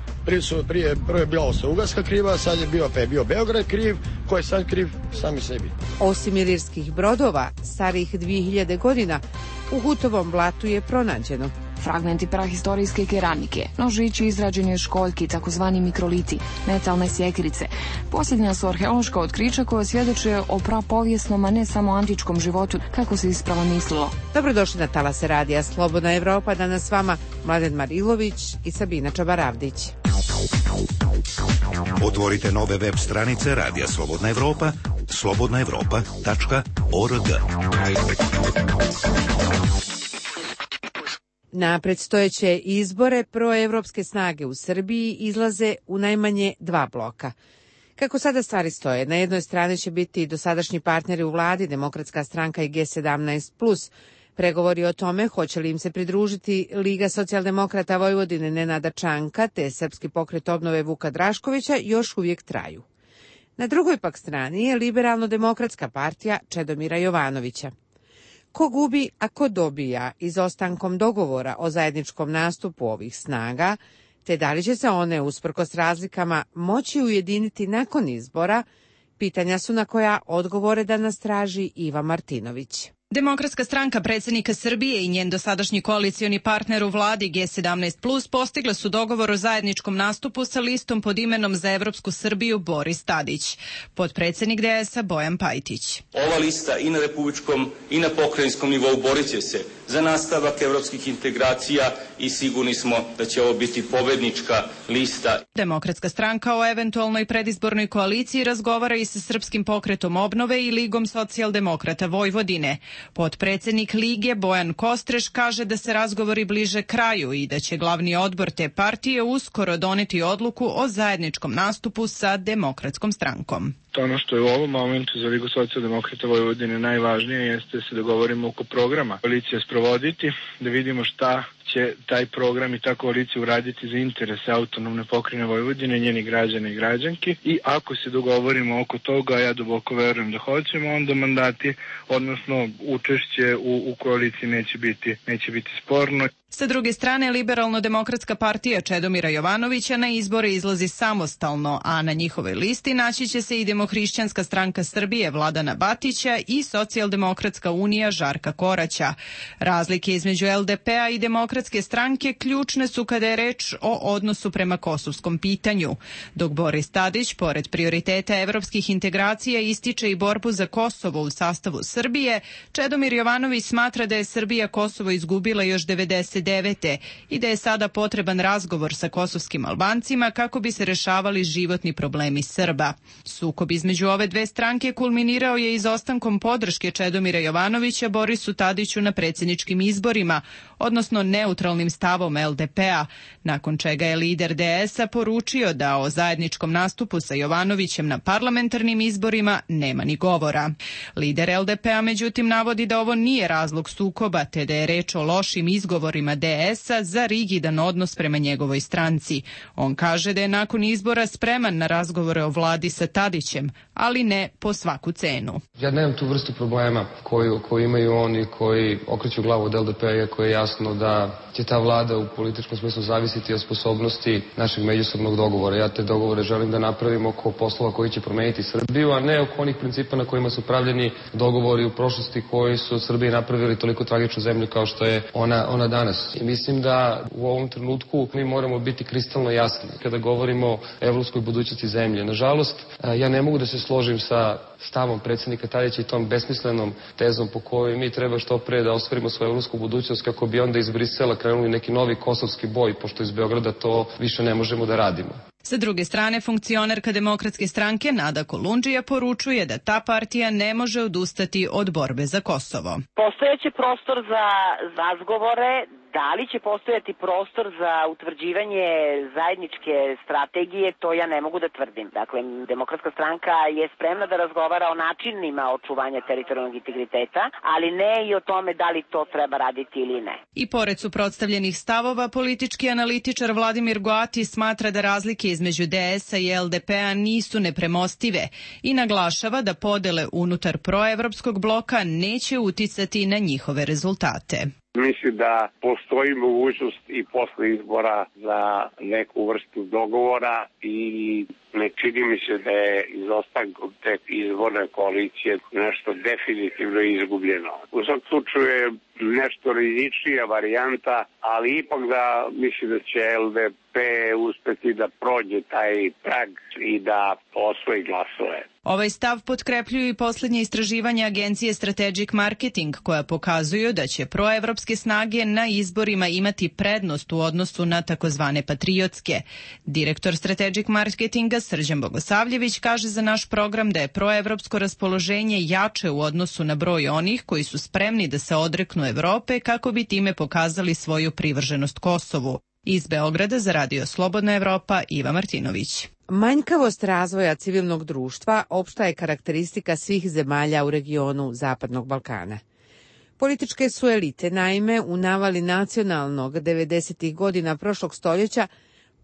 [SPEAKER 13] Prvo je bila Austro-Ugarska kriva, sad je bio Beograd kriv, ko je sad kriv? Sami sebi.
[SPEAKER 1] Osim ilirskih brodova, starih 2000 godina, u Hutovom blatu je pronađeno
[SPEAKER 26] fragmenti prahistorijske keramike, nožići izrađeni od školjki, takozvani mikroliti, metalne sjekirice. Posljednja su arheološka otkrića koja svjedoče o prapovijesnom, a ne samo antičkom životu, kako se ispravo mislilo.
[SPEAKER 1] Dobrodošli na talase radija Slobodna Evropa, danas s vama Mladen Marilović i Sabina Čabaravdić.
[SPEAKER 7] Otvorite nove web stranice Radija Slobodna Evropa, slobodnaevropa.org.
[SPEAKER 1] Na predstojeće izbore proevropske snage u Srbiji izlaze u najmanje 2 bloka. Kako sada stvari stoje, na jednoj strani će biti dosadašnji partneri u vladi, Demokratska stranka i G17+. Pregovori o tome hoće li im se pridružiti Liga socijaldemokrata Vojvodine Nenada Čanka te Srpski pokret obnove Vuka Draškovića još uvijek traju. Na drugoj pak strani je Liberalno-demokratska partija Čedomira Jovanovića. Ko gubi, a ko dobija izostankom dogovora o zajedničkom nastupu ovih snaga, te da li će se one, usprkos razlikama, moći ujediniti nakon izbora, pitanja su na koja odgovore danas traži Iva Martinović.
[SPEAKER 27] Demokratska stranka predsjednika Srbije i njen dosadašnji koalicioni partner u vladi G17+ postigle su dogovor o zajedničkom nastupu sa listom pod imenom Za evropsku Srbiju Boris Tadić, potpredsjednik DS-a Bojan Pajtić.
[SPEAKER 28] Ova lista i na republičkom i na pokrajinskom nivou borit će se za nastavak evropskih integracija i sigurni smo da će ovo biti pobednička lista.
[SPEAKER 27] Demokratska stranka o eventualnoj predizbornoj koaliciji razgovara i sa Srpskim pokretom obnove i Ligom socijaldemokrata Vojvodine. Potpredsjednik Lige Bojan Kostreš kaže da se razgovori bliže kraju i da će glavni odbor te partije uskoro doneti odluku o zajedničkom nastupu sa Demokratskom strankom.
[SPEAKER 5] Ono što je u ovom momentu za Ligu socijaldemokrata Vojvodine najvažnije jeste da se dogovorimo oko programa koalicije sprovoditi, da vidimo šta će taj program i ta koalicija uraditi za interese autonomne pokrajine Vojvodine, njeni građane i građanki, i ako se dogovorimo oko toga, ja duboko verujem da hoćemo, onda mandati, odnosno učešće u koaliciji neće biti sporno.
[SPEAKER 27] Sa druge strane, Liberalno-demokratska partija Čedomira Jovanovića na izbore izlazi samostalno, a na njihovoj listi naći će se i Demohrišćanska stranka Srbije Vladana Batića i Socijaldemokratska unija Žarka Koraća. Razlike između LDP-a i Demokratske stranke ključne su kada je reč o odnosu prema kosovskom pitanju. Dok Boris Tadić, pored prioriteta evropskih integracija, ističe i borbu za Kosovo u sastavu Srbije, Čedomir Jovanović smatra da je Srbija Kosovo izgubila još 99. i da je sada potreban razgovor sa kosovskim Albancima kako bi se rešavali životni problemi Srba. Sukob između ove dve stranke kulminirao je izostankom podrške Čedomira Jovanovića Borisu Tadiću na predsjedničkim izborima, odnosno neutralnim stavom LDP-a, nakon čega je lider DS-a poručio da o zajedničkom nastupu sa Jovanovićem na parlamentarnim izborima nema ni govora. Lider LDP-a međutim navodi da ovo nije razlog sukoba, te da je reč o lošim izgovorima liderima DS-a za rigidan odnos prema njegovoj stranci. On kaže da je nakon izbora spreman na razgovore o vladi sa Tadićem, ali ne po svaku cenu.
[SPEAKER 4] Ja nemam tu vrstu problema koju imaju oni koji okreću glavu od LDP-a, iako je jasno da će ta vlada u političkom smislu zavisiti od sposobnosti našeg međusobnog dogovora. Ja te dogovore želim da napravim oko poslova koji će promeniti Srbiju, a ne oko onih principa na kojima su pravljeni dogovori u prošlosti koji su od Srbije napravili toliko tragičnu zemlju kao što je ona danas. I mislim da u ovom trenutku mi moramo biti kristalno jasni kada govorimo o evropskoj budućnosti zemlje. Nažalost, ja ne mogu da se složim sa stavom predsjednika Tadića i tom besmislenom tezom po kojoj mi treba što pre da ostvarimo svoju evropsku budućnost kako bi onda iz Brisela krenuli neki novi kosovski boj, pošto iz Beograda to više ne možemo da radimo.
[SPEAKER 27] Sa druge strane, funkcionerka Demokratske stranke Nada Kolundžija poručuje da ta partija ne može odustati od borbe za Kosovo.
[SPEAKER 14] Postojeće prostor za razgovore, da li će postojati prostor za utvrđivanje zajedničke strategije, to ja ne mogu da tvrdim. Dakle, Demokratska stranka je spremna da razgovara o načinima očuvanja teritorijalnog integriteta, ali ne i o tome da li to treba raditi ili ne.
[SPEAKER 27] I pored suprotstavljenih stavova, politički analitičar Vladimir Goati smatra da razlike između DS-a i LDP-a nisu nepremostive i naglašava da podele unutar proevropskog bloka neće uticati na njihove rezultate.
[SPEAKER 3] Mislim da postoji mogućnost i posle izbora za neku vrstu dogovora i ne čini mi se da je izostankom te izborne koalicije nešto definitivno izgubljeno. U svakom slučaju je nešto rizičnija varijanta, ali ipak da mislim da će LDP uspeti da prođe taj prag i da osvoji glasove.
[SPEAKER 27] Ovaj stav potkrepljuju i posljednje istraživanja agencije Strategic Marketing, koja pokazuju da će proevropske snage na izborima imati prednost u odnosu na takozvane patriotske. Direktor Strategic Marketinga Srđan Bogosavljević kaže za naš program da je proevropsko raspoloženje jače u odnosu na broj onih koji su spremni da se odreknu Evrope kako bi time pokazali svoju privrženost Kosovu. Iz Beograda za Radio Slobodna Evropa, Iva Martinović.
[SPEAKER 1] Manjkavost razvoja civilnog društva opšta je karakteristika svih zemalja u regionu Zapadnog Balkana. Političke su elite, naime, u navali nacionalnog 90. godina prošlog stoljeća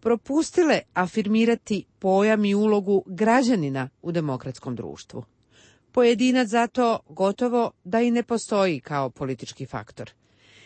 [SPEAKER 1] propustile afirmirati pojam i ulogu građanina u demokratskom društvu. Pojedinac zato gotovo da i ne postoji kao politički faktor.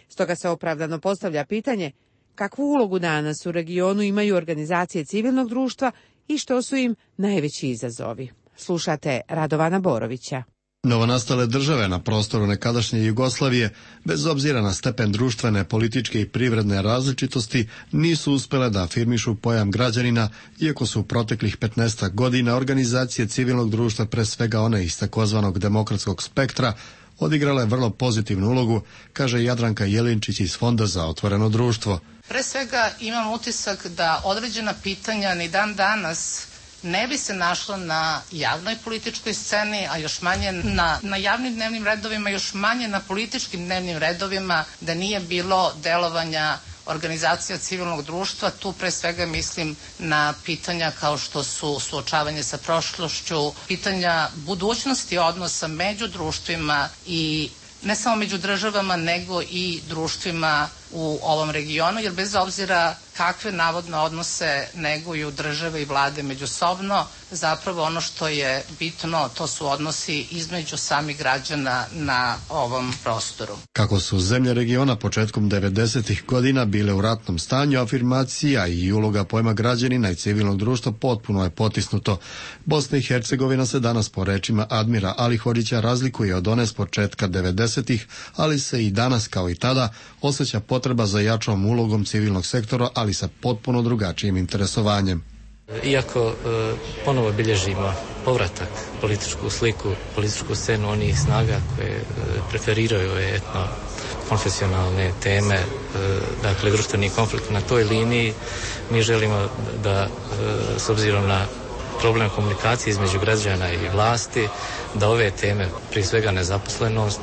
[SPEAKER 1] Stoga se opravdano postavlja pitanje kakvu ulogu danas u regionu imaju organizacije civilnog društva i što su im najveći izazovi. Slušate Radovana Borovića.
[SPEAKER 15] Novonastale države na prostoru nekadašnje Jugoslavije, bez obzira na stepen društvene, političke i privredne različitosti, nisu uspjele da afirmišu pojam građanina, iako su u proteklih 15 godina organizacije civilnog društva, pre svega one iz takozvanog demokratskog spektra, odigrala je vrlo pozitivnu ulogu, kaže Jadranka Jelinčić iz Fonda za otvoreno društvo.
[SPEAKER 16] Pre svega imam utisak da određena pitanja ni dan danas ne bi se našla na javnoj političkoj sceni, a još manje na javnim dnevnim redovima, još manje na političkim dnevnim redovima, da nije bilo delovanja organizacija civilnog društva. Tu pre svega mislim na pitanja kao što su suočavanje sa prošlošću, pitanja budućnosti odnosa među društvima i ne samo među državama, nego i društvima u ovom regionu, jer bez obzira kakve navodno odnose neguju države i vlade međusobno, zapravo ono što je bitno, to su odnosi između samih građana na ovom prostoru.
[SPEAKER 15] Kako su zemlje regiona početkom 90. godina bile u ratnom stanju, afirmacija i uloga pojma građanina i civilnog društva potpuno je potisnuto. Bosna i Hercegovina se danas po rečima Admira Alihodžića razlikuje od one s početka 90-ih, ali se i danas kao i tada osjeća potreba za jačom ulogom civilnog sektora, ali sa potpuno drugačijim interesovanjem.
[SPEAKER 17] Iako ponovo bilježimo povratak političku sliku, političku scenu onih snaga koje preferiraju etno-konfesionalne teme, dakle društveni konflikt na toj liniji, mi želimo da s obzirom na problem komunikacije između građana i vlasti, da ove teme, prije svega nezaposlenost,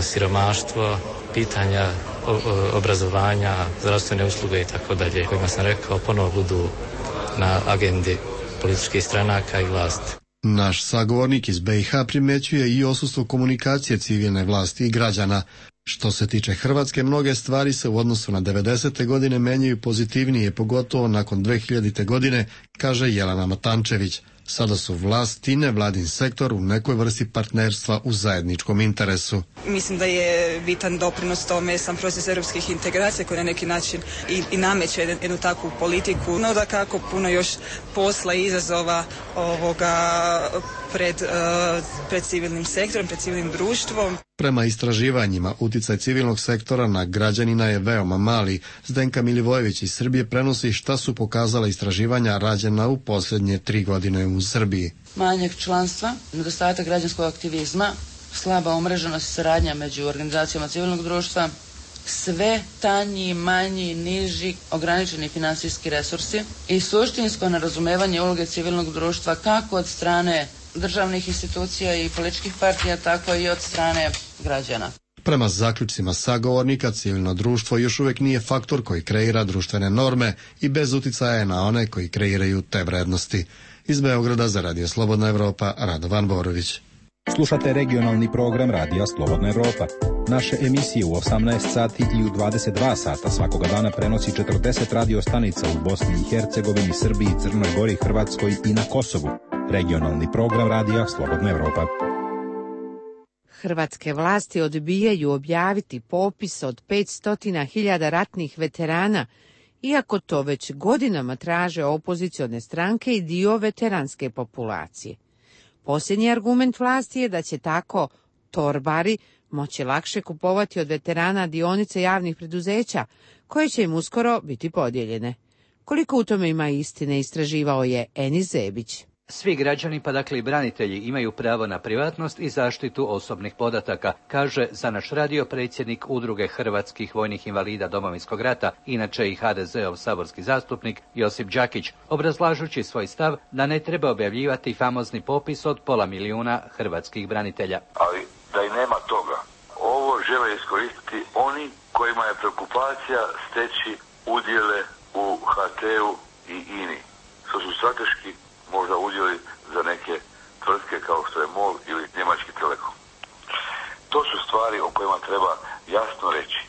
[SPEAKER 17] siromaštvo, pitanja obrazovanja, zdravstvene usluge i tako dalje, kojima sam rekao, ponovo budu na agendi političkih stranaka i vlasti.
[SPEAKER 15] Naš sagovornik iz BiH primjećuje i odsustvo komunikacije civilne vlasti i građana. Što se tiče Hrvatske, mnoge stvari se u odnosu na 90. godine menjaju pozitivnije, pogotovo nakon 2000. godine, kaže Jelena Matančević. Sada su vlast i nevladin sektor u nekoj vrsti partnerstva u zajedničkom interesu.
[SPEAKER 6] Mislim da je bitan doprinos tome sam proces europskih integracija koji na neki način i nameće jednu takvu politiku. No da kako puno još posla i izazova pred civilnim sektorom, pred civilnim društvom.
[SPEAKER 15] Prema istraživanjima, uticaj civilnog sektora na građanina je veoma mali. Zdenka Milivojević iz Srbije prenosi šta su pokazala istraživanja rađena u posljednje 3 godine u Srbiji.
[SPEAKER 9] Manjak članstva, nedostatak građanskog aktivizma, slaba umreženost i saradnja među organizacijama civilnog društva, sve tanji, manji, niži, ograničeni finansijski resursi i suštinsko nerazumevanje uloge civilnog društva kako od strane državnih institucija i političkih partija, tako i od strane građana.
[SPEAKER 15] Prema zaključcima sagovornika, civilno društvo još uvijek nije faktor koji kreira društvene norme i bez uticaja je na one koji kreiraju te vrednosti. Iz Beograda za Radio Slobodna Evropa, Radovan Borović.
[SPEAKER 18] Slušate regionalni program Radija Slobodna Evropa. Naše emisije u 18 sati i u 22 sata svakoga dana prenosi 40 radio stanica u Bosni i Hercegovini, Srbiji, Crnoj Gori, Hrvatskoj i na Kosovu. Regionalni program Radija Slobodna Evropa.
[SPEAKER 1] Hrvatske vlasti odbijaju objaviti popis od 500.000 ratnih veterana, iako to već godinama traže opozicione stranke i dio veteranske populacije. Posljednji argument vlasti je da će tako torbari moći lakše kupovati od veterana dionice javnih preduzeća, koje će im uskoro biti podijeljene. Koliko u tome ima istine, istraživao je Enis Zebić.
[SPEAKER 19] Svi građani, pa dakle i branitelji, imaju pravo na privatnost i zaštitu osobnih podataka, kaže za naš radio predsjednik Udruge hrvatskih vojnih invalida Domovinskog rata, inače i HDZ-ov saborski zastupnik Josip Đakić, obrazlažući svoj stav da ne treba objavljivati famozni popis od 500.000 hrvatskih branitelja.
[SPEAKER 20] Ali da i nema toga, ovo žele iskoristiti oni kojima je preokupacija steći udjele u HT-u i INI, što su strateški možda udjeli za neke tvrtke kao što je MOL ili Njemački Telekom. To su stvari o kojima treba jasno reći.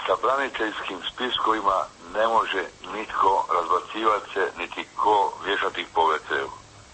[SPEAKER 20] Sa braniteljskim spiskovima ne može nitko razbacivati se, niti ko vješati ih po WC-u.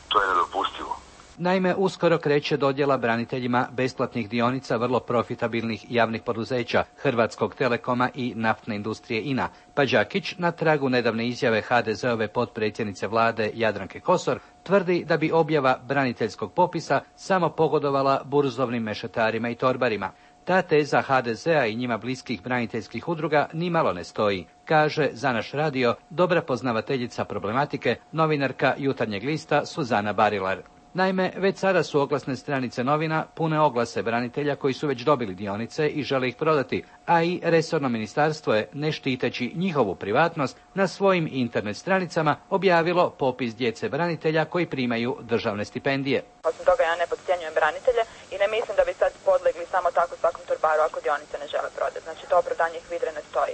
[SPEAKER 20] To je nedopustivo.
[SPEAKER 19] Naime, uskoro kreće dodjela braniteljima besplatnih dionica vrlo profitabilnih javnih poduzeća Hrvatskog Telekoma i naftne industrije INA, pa Đakić, na tragu nedavne izjave HDZ-ove potpredsjednice vlade Jadranke Kosor, tvrdi da bi objava braniteljskog popisa samo pogodovala burzovnim mešetarima i torbarima. Ta teza HDZ-a i njima bliskih braniteljskih udruga nimalo ne stoji, kaže za naš radio dobra poznavateljica problematike, novinarka Jutarnjeg lista Suzana Barilar. Naime, već sada su oglasne stranice novina pune oglase branitelja koji su već dobili dionice i žele ih prodati, a i resorno ministarstvo je, ne štiteći njihovu privatnost, na svojim internet stranicama objavilo popis djece branitelja koji primaju državne stipendije.
[SPEAKER 21] Osim toga, ja ne podcjenjujem branitelje i ne mislim da bi sad podlegli samo tako svakom torbaru ako dionice ne žele prodati. Znači, to opravdanje ih vidre ne stoji.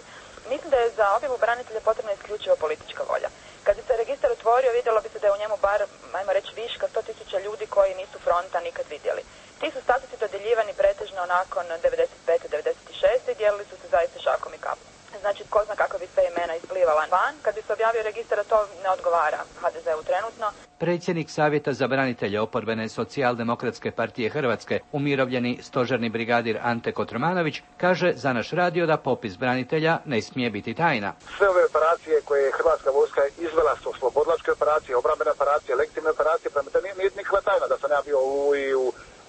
[SPEAKER 21] Mislim da je za objavu branitelja potrebna isključivo politička volja. Kad bi se registar otvorio, vidjelo bi se da je u njemu bar, ajmo reći, viška 100.000 ljudi koji nisu fronta nikad vidjeli. Ti su statusi dodjeljivani pretežno nakon 95. 96. i dijelili su se zaista šakom i kapom. Znači, ko zna kako bi sve imena isplivala van. Kad bi se objavio registar, to ne odgovara HDZ-u trenutno.
[SPEAKER 19] Predsjednik Savjeta za branitelje oporbene Socijaldemokratske partije Hrvatske, umirovljeni stožerni brigadir Ante Kotromanović, kaže za naš radio da popis branitelja ne smije biti tajna.
[SPEAKER 22] Sve ove operacije koje je Hrvatska vojska izvela su oslobodilačke operacije, obrambene operacije, legitimne operacije, prema to nije nikakva tajna da sam ja bio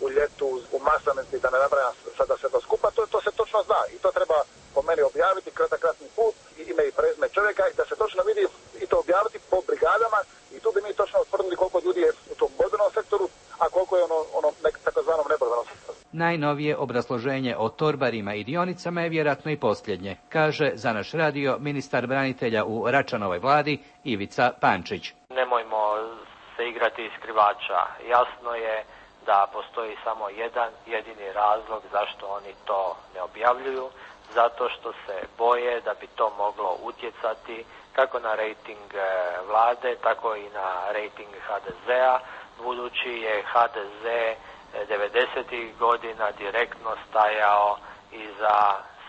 [SPEAKER 22] u ljetu, u Maslenici, da ne nabrajam sada sve to skupa, to se točno zna i to treba po meni objaviti kratki put, ime i prezime čovjeka i da se točno vidi i to objaviti po brigadama i tu bi mi točno utvrdili koliko ljudi je u tom borbenom sektoru, a koliko je ono takozvanom neborbenom sektoru.
[SPEAKER 19] Najnovije obrazloženje o torbarima i dionicama je vjerojatno i posljednje, kaže za naš radio ministar branitelja u Račanovoj vladi Ivica Pančić.
[SPEAKER 23] Nemojmo se igrati iz skrivača. Jasno je da postoji samo jedan jedini razlog zašto oni to ne objavljuju, zato što se boje da bi to moglo utjecati kako na rejting vlade, tako i na rejting HDZ-a, budući je HDZ 90. godina direktno stajao iza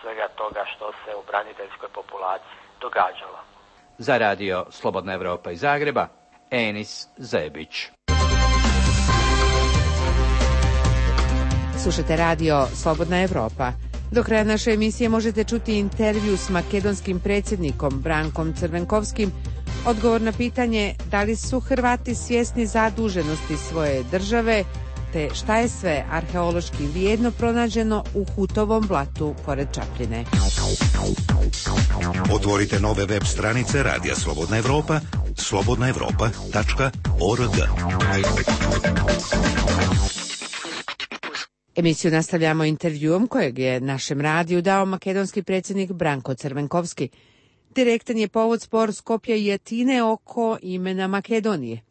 [SPEAKER 23] svega toga što se u braniteljskoj populaciji događalo.
[SPEAKER 19] Za radio Slobodna Evropa iz Zagreba, Enis Zebić.
[SPEAKER 1] Slušate radio Slobodna Evropa. Do kraja naše emisije možete čuti intervju s makedonskim predsjednikom Brankom Crvenkovskim, odgovor na pitanje da li su Hrvati svjesni zaduženosti svoje države, te šta je sve arheološki vrijedno pronađeno u Hutovom blatu pored Čapljine.
[SPEAKER 7] Otvorite nove web stranice Radija Slobodna Evropa, slobodnaevropa.org.
[SPEAKER 1] Emisiju nastavljamo intervjuom kojeg je našem radiju dao makedonski predsjednik Branko Crvenkovski. Direktan je povod spor Skopja i Atine oko imena Makedonije.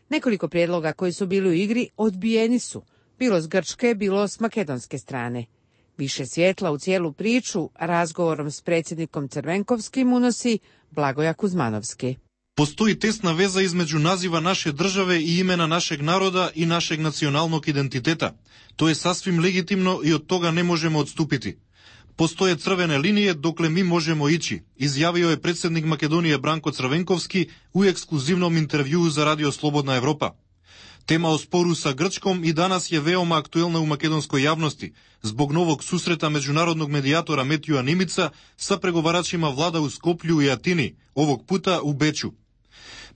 [SPEAKER 1] Nekoliko prijedloga koji su bili u igri odbijeni su, bilo s grčke, bilo s makedonske strane. Više svjetla u cijelu priču razgovorom s predsjednikom Crvenkovskim unosi Blagoja Kuzmanovski.
[SPEAKER 2] Postoji tesna veza između naziva naše države i imena našeg naroda i našeg nacionalnog identiteta. To je sasvim legitimno i od toga ne možemo odstupiti. Postoje crvene linije dokle mi možemo ići, izjavio je predsjednik Makedonije Branko Crvenkovski u ekskluzivnom intervjuu za Radio Slobodna Evropa. Tema o sporu sa Grčkom i danas je veoma aktuelna u makedonskoj javnosti, zbog novog susreta međunarodnog medijatora Metjuja Nimica sa pregovaračima vlada u Skoplju i Atini, ovog puta u Beču.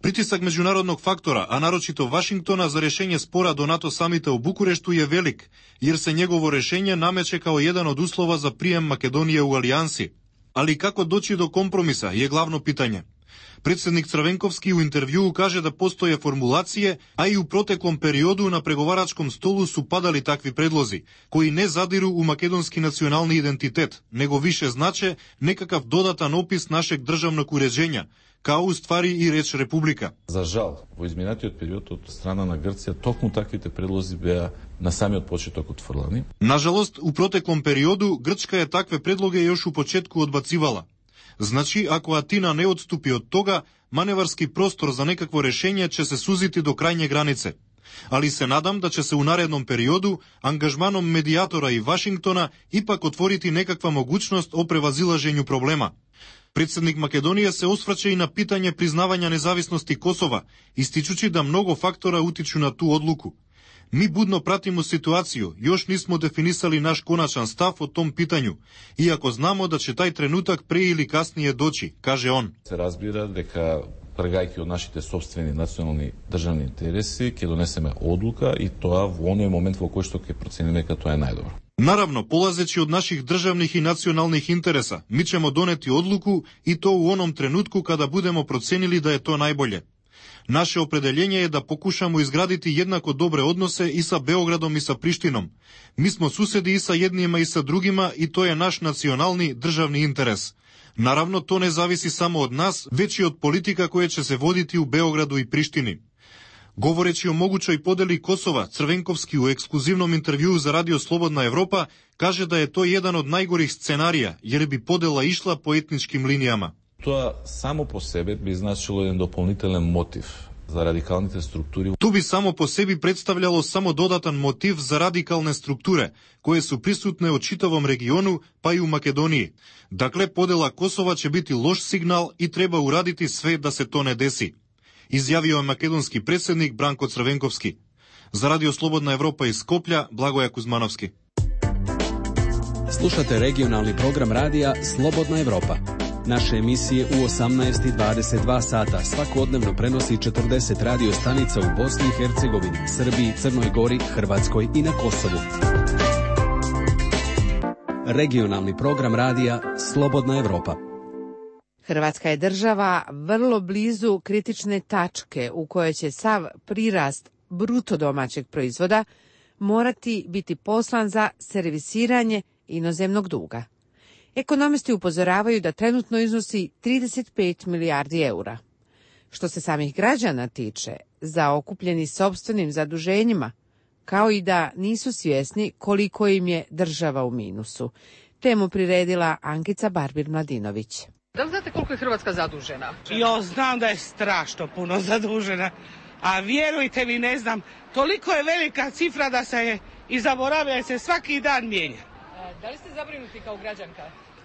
[SPEAKER 2] Pritisak međunarodnog faktora, a naročito Vašingtona za rješenje spora do NATO samita u Bukureštu je velik, jer se njegovo rješenje nameće kao jedan od uslova za prijem Makedonije u alijansi. Ali kako doći do kompromisa je glavno pitanje. Predsjednik Crvenkovski u intervjuu kaže da postoje formulacije, a i u proteklom periodu na pregovaračkom stolu su padali takvi predlozi, koji ne zadiru u makedonski nacionalni identitet, nego više znače nekakav dodatan opis našeg državnog uređenja, kao u stvari i реч Република.
[SPEAKER 8] За жал, во изминатиот период од страна на Грција токму таквите предлози беа на самиот почеток отфрлани.
[SPEAKER 2] Нажалост, у протеклом периоду Грчка е такве предлоги још у почетку одбацивала. Значи, ако Атина не отступи од тога, маневарски простор за некакво решение ќе се сузити до крајње границе. Ali se nadam da će se u narednom periodu angažmanom medijatora i Vašingtona ipak otvoriti nekakva mogućnost o prevazilaženju problema. Predsjednik Makedonije se osvrće i na pitanje priznavanja nezavisnosti Kosova, ističući da mnogo faktora utiču na tu odluku. Mi budno pratimo situaciju, još nismo definisali naš konačan stav o tom pitanju, iako znamo da će taj trenutak pre ili kasnije doći, kaže on.
[SPEAKER 8] Se разбира дека тргајќи од нашите сопствени национални државни интереси, ќе донесеме одлука и тоа во оној момент во кој што ќе процениме дека тоа е најдобро.
[SPEAKER 2] Naravno, polazeći od naših državnih i nacionalnih interesa, mi ćemo doneti odluku i to u onom trenutku kada budemo procenili da je to najbolje. Naše opredeljenje je da pokušamo izgraditi jednako dobre odnose i sa Beogradom i sa Prištinom. Mi smo susedi i sa jednima i sa drugima i to je naš nacionalni državni interes. Naravno, to ne zavisi samo od nas, već i od politika koje će se voditi u Beogradu i Prištini. Govoreći o mogućoj podeli Kosova, Crvenkovski u ekskluzivnom intervjuu za Radio Slobodna Evropa kaže da je to jedan od najgorih scenarija, jer bi podela išla po etničkim linijama.
[SPEAKER 8] Тоа само по себе би значило еден дополнителен мотив за радикалните структури.
[SPEAKER 2] Tu bi samo po sebi predstavljalo samo dodatan motiv za radikalne strukture, koje su prisutne u čitavom regionu, pa i u Makedoniji. Dakle, podela Kosova će biti loš signal i treba uraditi sve da se to ne desi, izjavio je makedonski predsjednik Branko Crvenkovski. Za Radio Slobodna Evropa iz Skoplja, Blagoja Kuzmanovski.
[SPEAKER 10] Slušate regionalni program radija Slobodna Evropa. Naše emisije u 18:22 sata svakodnevno prenosi 40 radio stanica u Bosni i Hercegovini, Srbiji, Crnoj Gori, Hrvatskoj i na Kosovu. Regionalni program radija Slobodna Evropa.
[SPEAKER 1] Hrvatska je država vrlo blizu kritične tačke u kojoj će sav prirast bruto domaćeg proizvoda morati biti poslan za servisiranje inozemnog duga. Ekonomisti upozoravaju da trenutno iznosi 35 milijardi eura. Što se samih građana tiče, zaokupljeni sopstvenim zaduženjima, kao i da nisu svjesni koliko im je država u minusu. Temu priredila Ankica Barbir-Mladinović.
[SPEAKER 11] Da li znate koliko je Hrvatska zadužena?
[SPEAKER 12] Jo, znam da je strašno puno zadužena, a vjerujte mi, ne znam, toliko je velika cifra da se i zaboravlja, se svaki dan mijenja.
[SPEAKER 11] Da li ste zabrinuti kao građanka?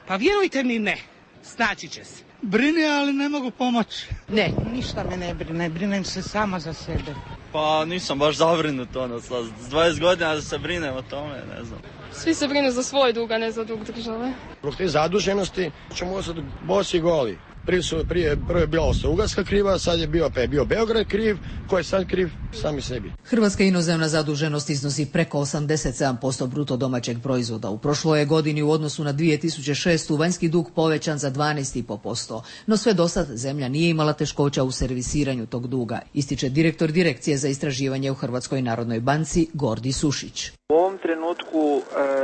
[SPEAKER 12] Pa vjerujte mi, ne. Snaći će se.
[SPEAKER 4] Brine, ali ne mogu pomoći.
[SPEAKER 12] Ne. Ništa me ne brine, brinem se sama za sebe.
[SPEAKER 5] Pa nisam baš zabrinut, s 20 godina da se brinem o tome, ne znam.
[SPEAKER 13] Svi se brinu za svoj dug, a ne za dug države.
[SPEAKER 14] Zbog te zaduženosti ćemo ostati bosi goli. Prvo je bila Austro-Ugarska kriva, sad je bio Beograd kriv, ko je sad kriv? Sami sebi.
[SPEAKER 24] Hrvatska inozemna zaduženost iznosi preko 87% bruto domaćeg proizvoda. U prošloj godini u odnosu na 2006. vanjski dug povećan za 12,5%. No sve dosad zemlja nije imala teškoća u servisiranju tog duga, ističe direktor Direkcije za istraživanje u Hrvatskoj narodnoj banci Gordi Sušić.
[SPEAKER 25] U ovom trenutku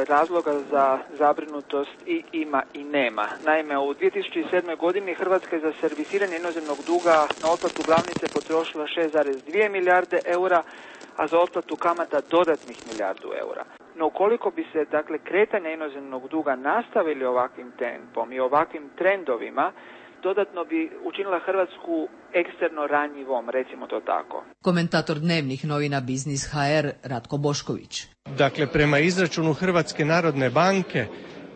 [SPEAKER 25] razloga za zabrinutost i ima i nema. Naime, u 2007. godini Hrvatska je za servisiranje inozemnog duga na otplatu glavnice potrošila 6,2 milijarde eura, a za otplatu kamata dodatnih milijardu eura. No ukoliko bi se, kretanja inozemnog duga nastavili ovakvim tempom i ovakvim trendovima, dodatno bi učinila Hrvatsku eksterno ranjivom, recimo to tako.
[SPEAKER 24] Komentator dnevnih novina Biznis HR Ratko Bošković.
[SPEAKER 26] Prema izračunu Hrvatske narodne banke,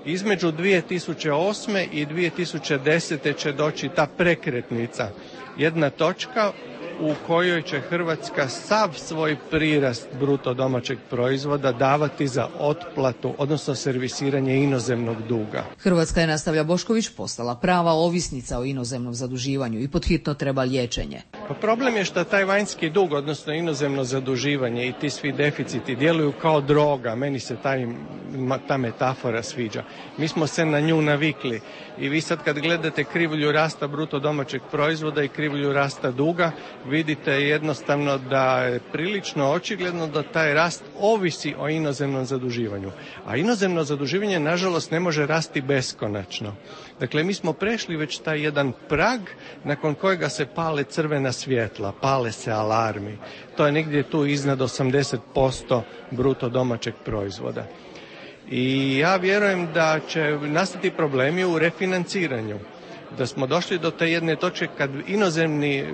[SPEAKER 26] između 2008. i 2010. će doći ta prekretnica, jedna točka u kojoj će Hrvatska sav svoj prirast bruto domaćeg proizvoda davati za otplatu, odnosno servisiranje inozemnog duga.
[SPEAKER 24] Hrvatska je, nastavlja Bošković, postala prava ovisnica o inozemnom zaduživanju i podhitno treba liječenje.
[SPEAKER 26] Pa problem je što taj vanjski dug, odnosno inozemno zaduživanje i ti svi deficiti djeluju kao droga. Meni se ta metafora sviđa. Mi smo se na nju navikli i vi sad kad gledate krivulju rasta bruto domaćeg proizvoda i krivulju rasta duga, vidite jednostavno da je prilično očigledno da taj rast ovisi o inozemnom zaduživanju. A inozemno zaduživanje, nažalost, ne može rasti beskonačno. Dakle, mi smo prešli već taj jedan prag nakon kojega se pale crvena svjetla, pale se alarmi. To je negdje tu iznad 80% bruto domaćeg proizvoda. I ja vjerujem da će nastati problemi u refinanciranju. Da smo došli do te jedne točke kad inozemni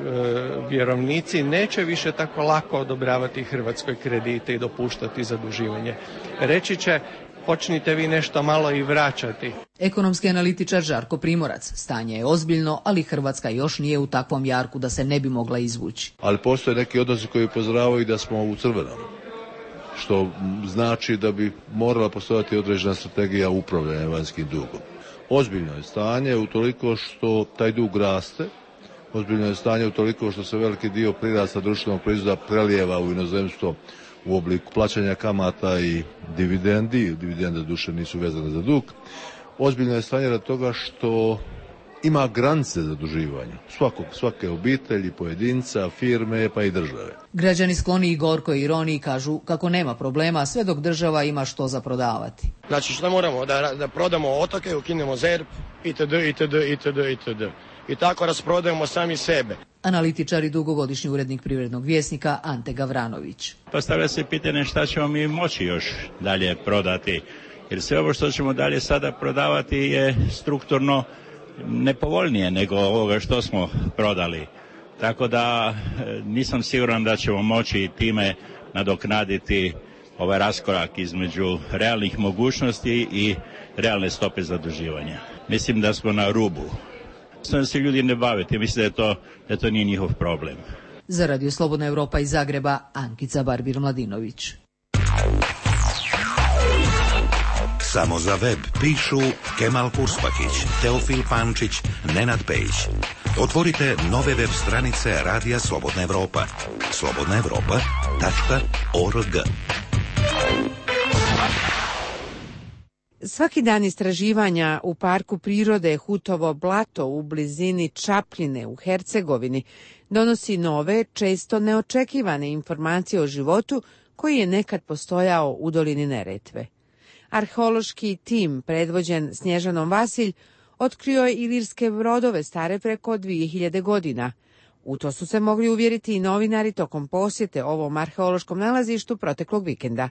[SPEAKER 26] vjerovnici neće više tako lako odobravati Hrvatskoj kredite i dopuštati zaduživanje. Reći će, počnite vi nešto malo i vraćati.
[SPEAKER 24] Ekonomski analitičar Žarko Primorac. Stanje je ozbiljno, ali Hrvatska još nije u takvom jarku da se ne bi mogla izvući.
[SPEAKER 28] Ali postoje neki odnosi koji upozoravaju da smo u crvenom, što znači da bi morala postojati određena strategija upravljanja vanjskim dugom. Ozbiljno je stanje utoliko što taj dug raste, ozbiljno je stanje utoliko što se veliki dio prirasta društvenog proizvoda prelijeva u inozemstvo u obliku plaćanja kamata i dividendi. Dividende duše nisu vezane za dug. Ozbiljno je stanje radi toga što ima granice zaduživanja svake obitelji, pojedinca, firme pa i države.
[SPEAKER 24] Građani skloni i gorkoj ironiji kažu kako nema problema sve dok država ima što za prodavati.
[SPEAKER 14] Znači što moramo? Da prodamo otoke, ukinemo ZERP, itd. I tako rasprodajemo sami sebe.
[SPEAKER 24] Analitičar i dugogodišnji urednik Privrednog vjesnika Ante Gavranović.
[SPEAKER 29] Postavlja se pitanje šta ćemo mi moći još dalje prodati, jer sve ovo što ćemo dalje sada prodavati je strukturno nepovoljnije nego ovoga što smo prodali. Tako da nisam siguran da ćemo moći time nadoknaditi ovaj raskorak između realnih mogućnosti i realne stope zaduživanja. Mislim da smo na rubu. Da se ljudi ne baviti, mislim da to nije njihov problem.
[SPEAKER 24] Za Radio Slobodna Europa iz Zagreba, Ankica Barbir-Mladinović.
[SPEAKER 7] Samo za web pišu Kemal Kurspakić, Teofil Pančić, Nenad Pejić. Otvorite nove web stranice Radija Slobodna Evropa. slobodnaevropa.org.
[SPEAKER 1] Svaki dan istraživanja u parku prirode Hutovo blato u blizini Čapljine u Hercegovini donosi nove, često neočekivane informacije o životu koji je nekad postojao u dolini Neretve. Arheološki tim, predvođen Snježanom Vasilj, otkrio je ilirske brodove stare preko 2000 godina. U to su se mogli uvjeriti i novinari tokom posjete ovom arheološkom nalazištu proteklog vikenda.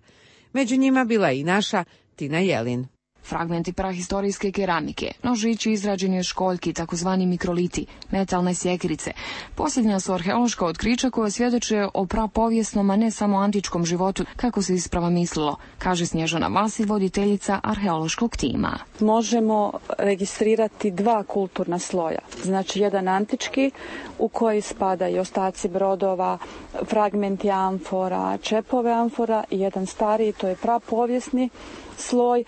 [SPEAKER 1] Među njima bila i naša Tina Jelin.
[SPEAKER 3] fragmenti prahistorijske keramike, nožići izrađeni od školjki, takozvani mikroliti, metalne sjekirice. Posljednja su arheološka otkrića koja svjedoče o prapovijesnom, a ne samo antičkom životu, kako se isprava mislilo, kaže Snježana Vasilj, voditeljica arheološkog tima.
[SPEAKER 6] Možemo registrirati dva kulturna sloja. Znači jedan antički u koji spada i ostaci brodova, fragmenti amfora, čepove amfora, i jedan stariji, to je prapovijesni sloj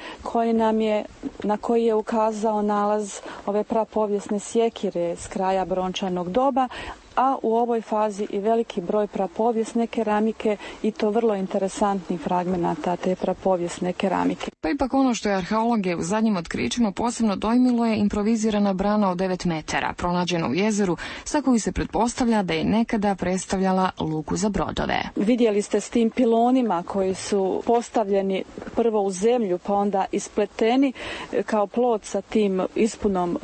[SPEAKER 6] na koji je ukazao nalaz ove prapovijesne sjekire s kraja brončanog doba, a u ovoj fazi i veliki broj prapovijesne keramike i to vrlo interesantnih fragmenata te prapovijesne keramike.
[SPEAKER 3] Pa ipak ono što je arheologe u zadnjim otkrićima posebno dojmilo je improvizirana brana od 9 metara, pronađena u jezeru, sa koju se pretpostavlja da je nekada predstavljala luku za brodove.
[SPEAKER 6] Vidjeli ste s tim pilonima koji su postavljeni prvo u zemlju, pa onda ispleteni kao plot sa tim ispunom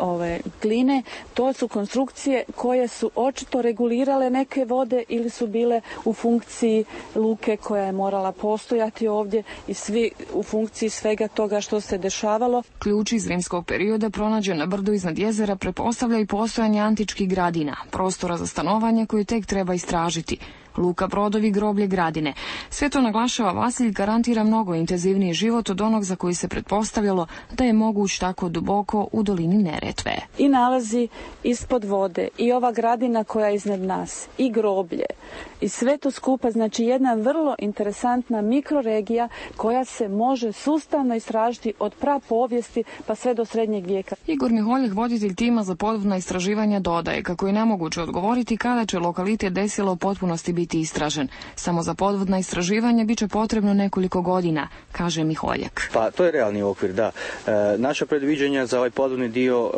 [SPEAKER 6] gline. To su konstrukcije koje su očito regulirale neke vode ili su bile u funkciji luke koja je morala postojati ovdje i svi u funkciji svega toga što se dešavalo.
[SPEAKER 3] Ključ iz rimskog perioda pronađen na brdu iznad jezera pretpostavlja i postojanje antičkih gradina, prostora za stanovanje koje tek treba istražiti. Luka, brodovi, groblje, gradine. Sve to, naglašava Vasilj, garantira mnogo intenzivniji život od onog za koji se pretpostavljalo da je moguć tako duboko u dolini Neretve.
[SPEAKER 6] I nalazi ispod vode, i ova gradina koja je iznad nas, i groblje, i sve to skupa, znači jedna vrlo interesantna mikroregija koja se može sustavno istražiti od prapovijesti pa sve do srednjeg vijeka.
[SPEAKER 3] Igor Miholjak, voditelj tima za podvodna istraživanja, dodaje kako je nemoguće odgovoriti kada će lokalitet Desilo u potpunosti biti istražen. Samo za podvodna istraživanja biće potrebno nekoliko godina, kaže Miholjak.
[SPEAKER 9] Pa to je realni okvir, da. Naša predviđanja za ovaj podvodni dio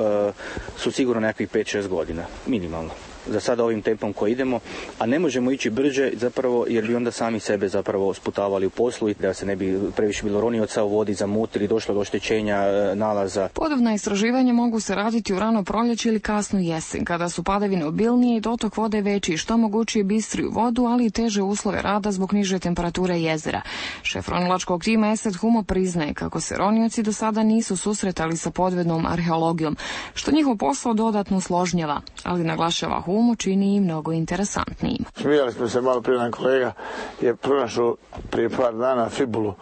[SPEAKER 9] su sigurno nekakvih 5-6 godina, minimalno. Za sada ovim tempom koji idemo, a ne možemo ići brže zapravo jer bi onda sami sebe zapravo sputavali u poslu i da se ne bi previše bilo ronioca u vodi, zamutili, došlo do oštećenja nalaza.
[SPEAKER 3] Podvodna istraživanja mogu se raditi u rano proljeće ili kasnu jesen, kada su padavine obilnije i dotok vode veći, što omogućuje bistriju vodu, ali i teže uslove rada zbog niže temperature jezera. Šef ronilačkog tima Esad Humo priznaje kako se ronioci do sada nisu susretali sa podvodnom arheologijom, što njihov posao dodatno usložnjava, ali naglašava Humo čini i mnogo interesantnijim.
[SPEAKER 15] Smijali smo se malo prije, jedan kolega je pronašao prije par dana fibulu,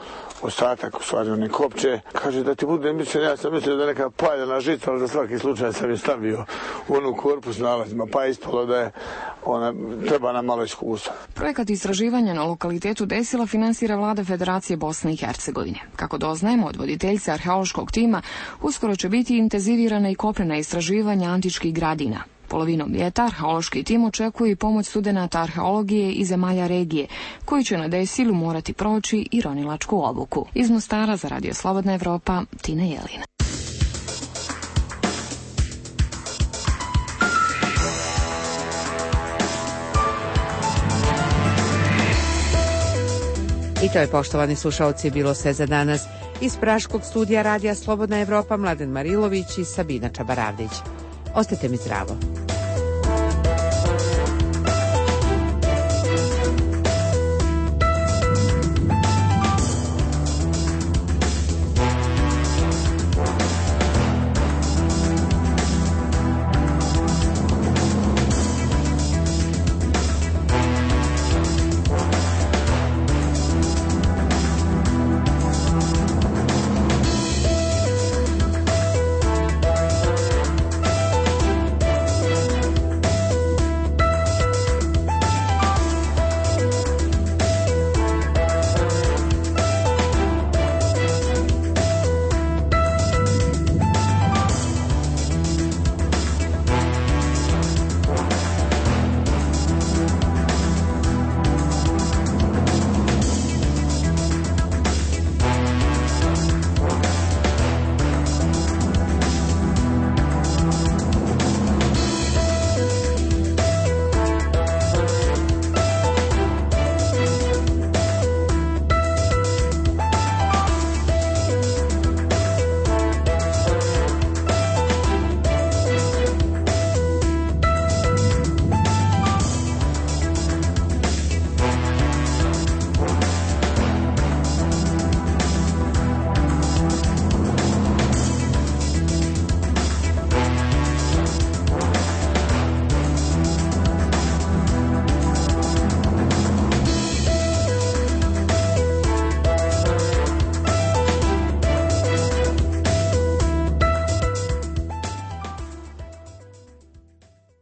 [SPEAKER 15] ostatak, u stvari one kopče. Kaže da ti bude mišljen, ja sam mislio da je neka paljena žica, ali za svaki slučaj sam je stavio u onu korpus nalazima, pa je ispalo da je ona treba nam malo iskustva.
[SPEAKER 3] Projekat istraživanja na lokalitetu Desila finansira vlada Federacije Bosne i Hercegovine. Kako doznajemo od voditeljice arheološkog tima, uskoro će biti intenzivirana i kopnena istraživanja antičkih gradina. Polovinom ljeta arheološki tim očekuje i pomoć studenata arheologije iz zemalja regije, koji će na Desilu morati proći i ronilačku obuku. Iz Mostara za Radio Slobodna Evropa, Tina Jelina.
[SPEAKER 1] I to je, poštovani slušalci, bilo sve za danas. Iz praškog studija Radija Slobodna Evropa, Mladen Marilović i Sabina Čabaravdić. Ostajte mi zdravo.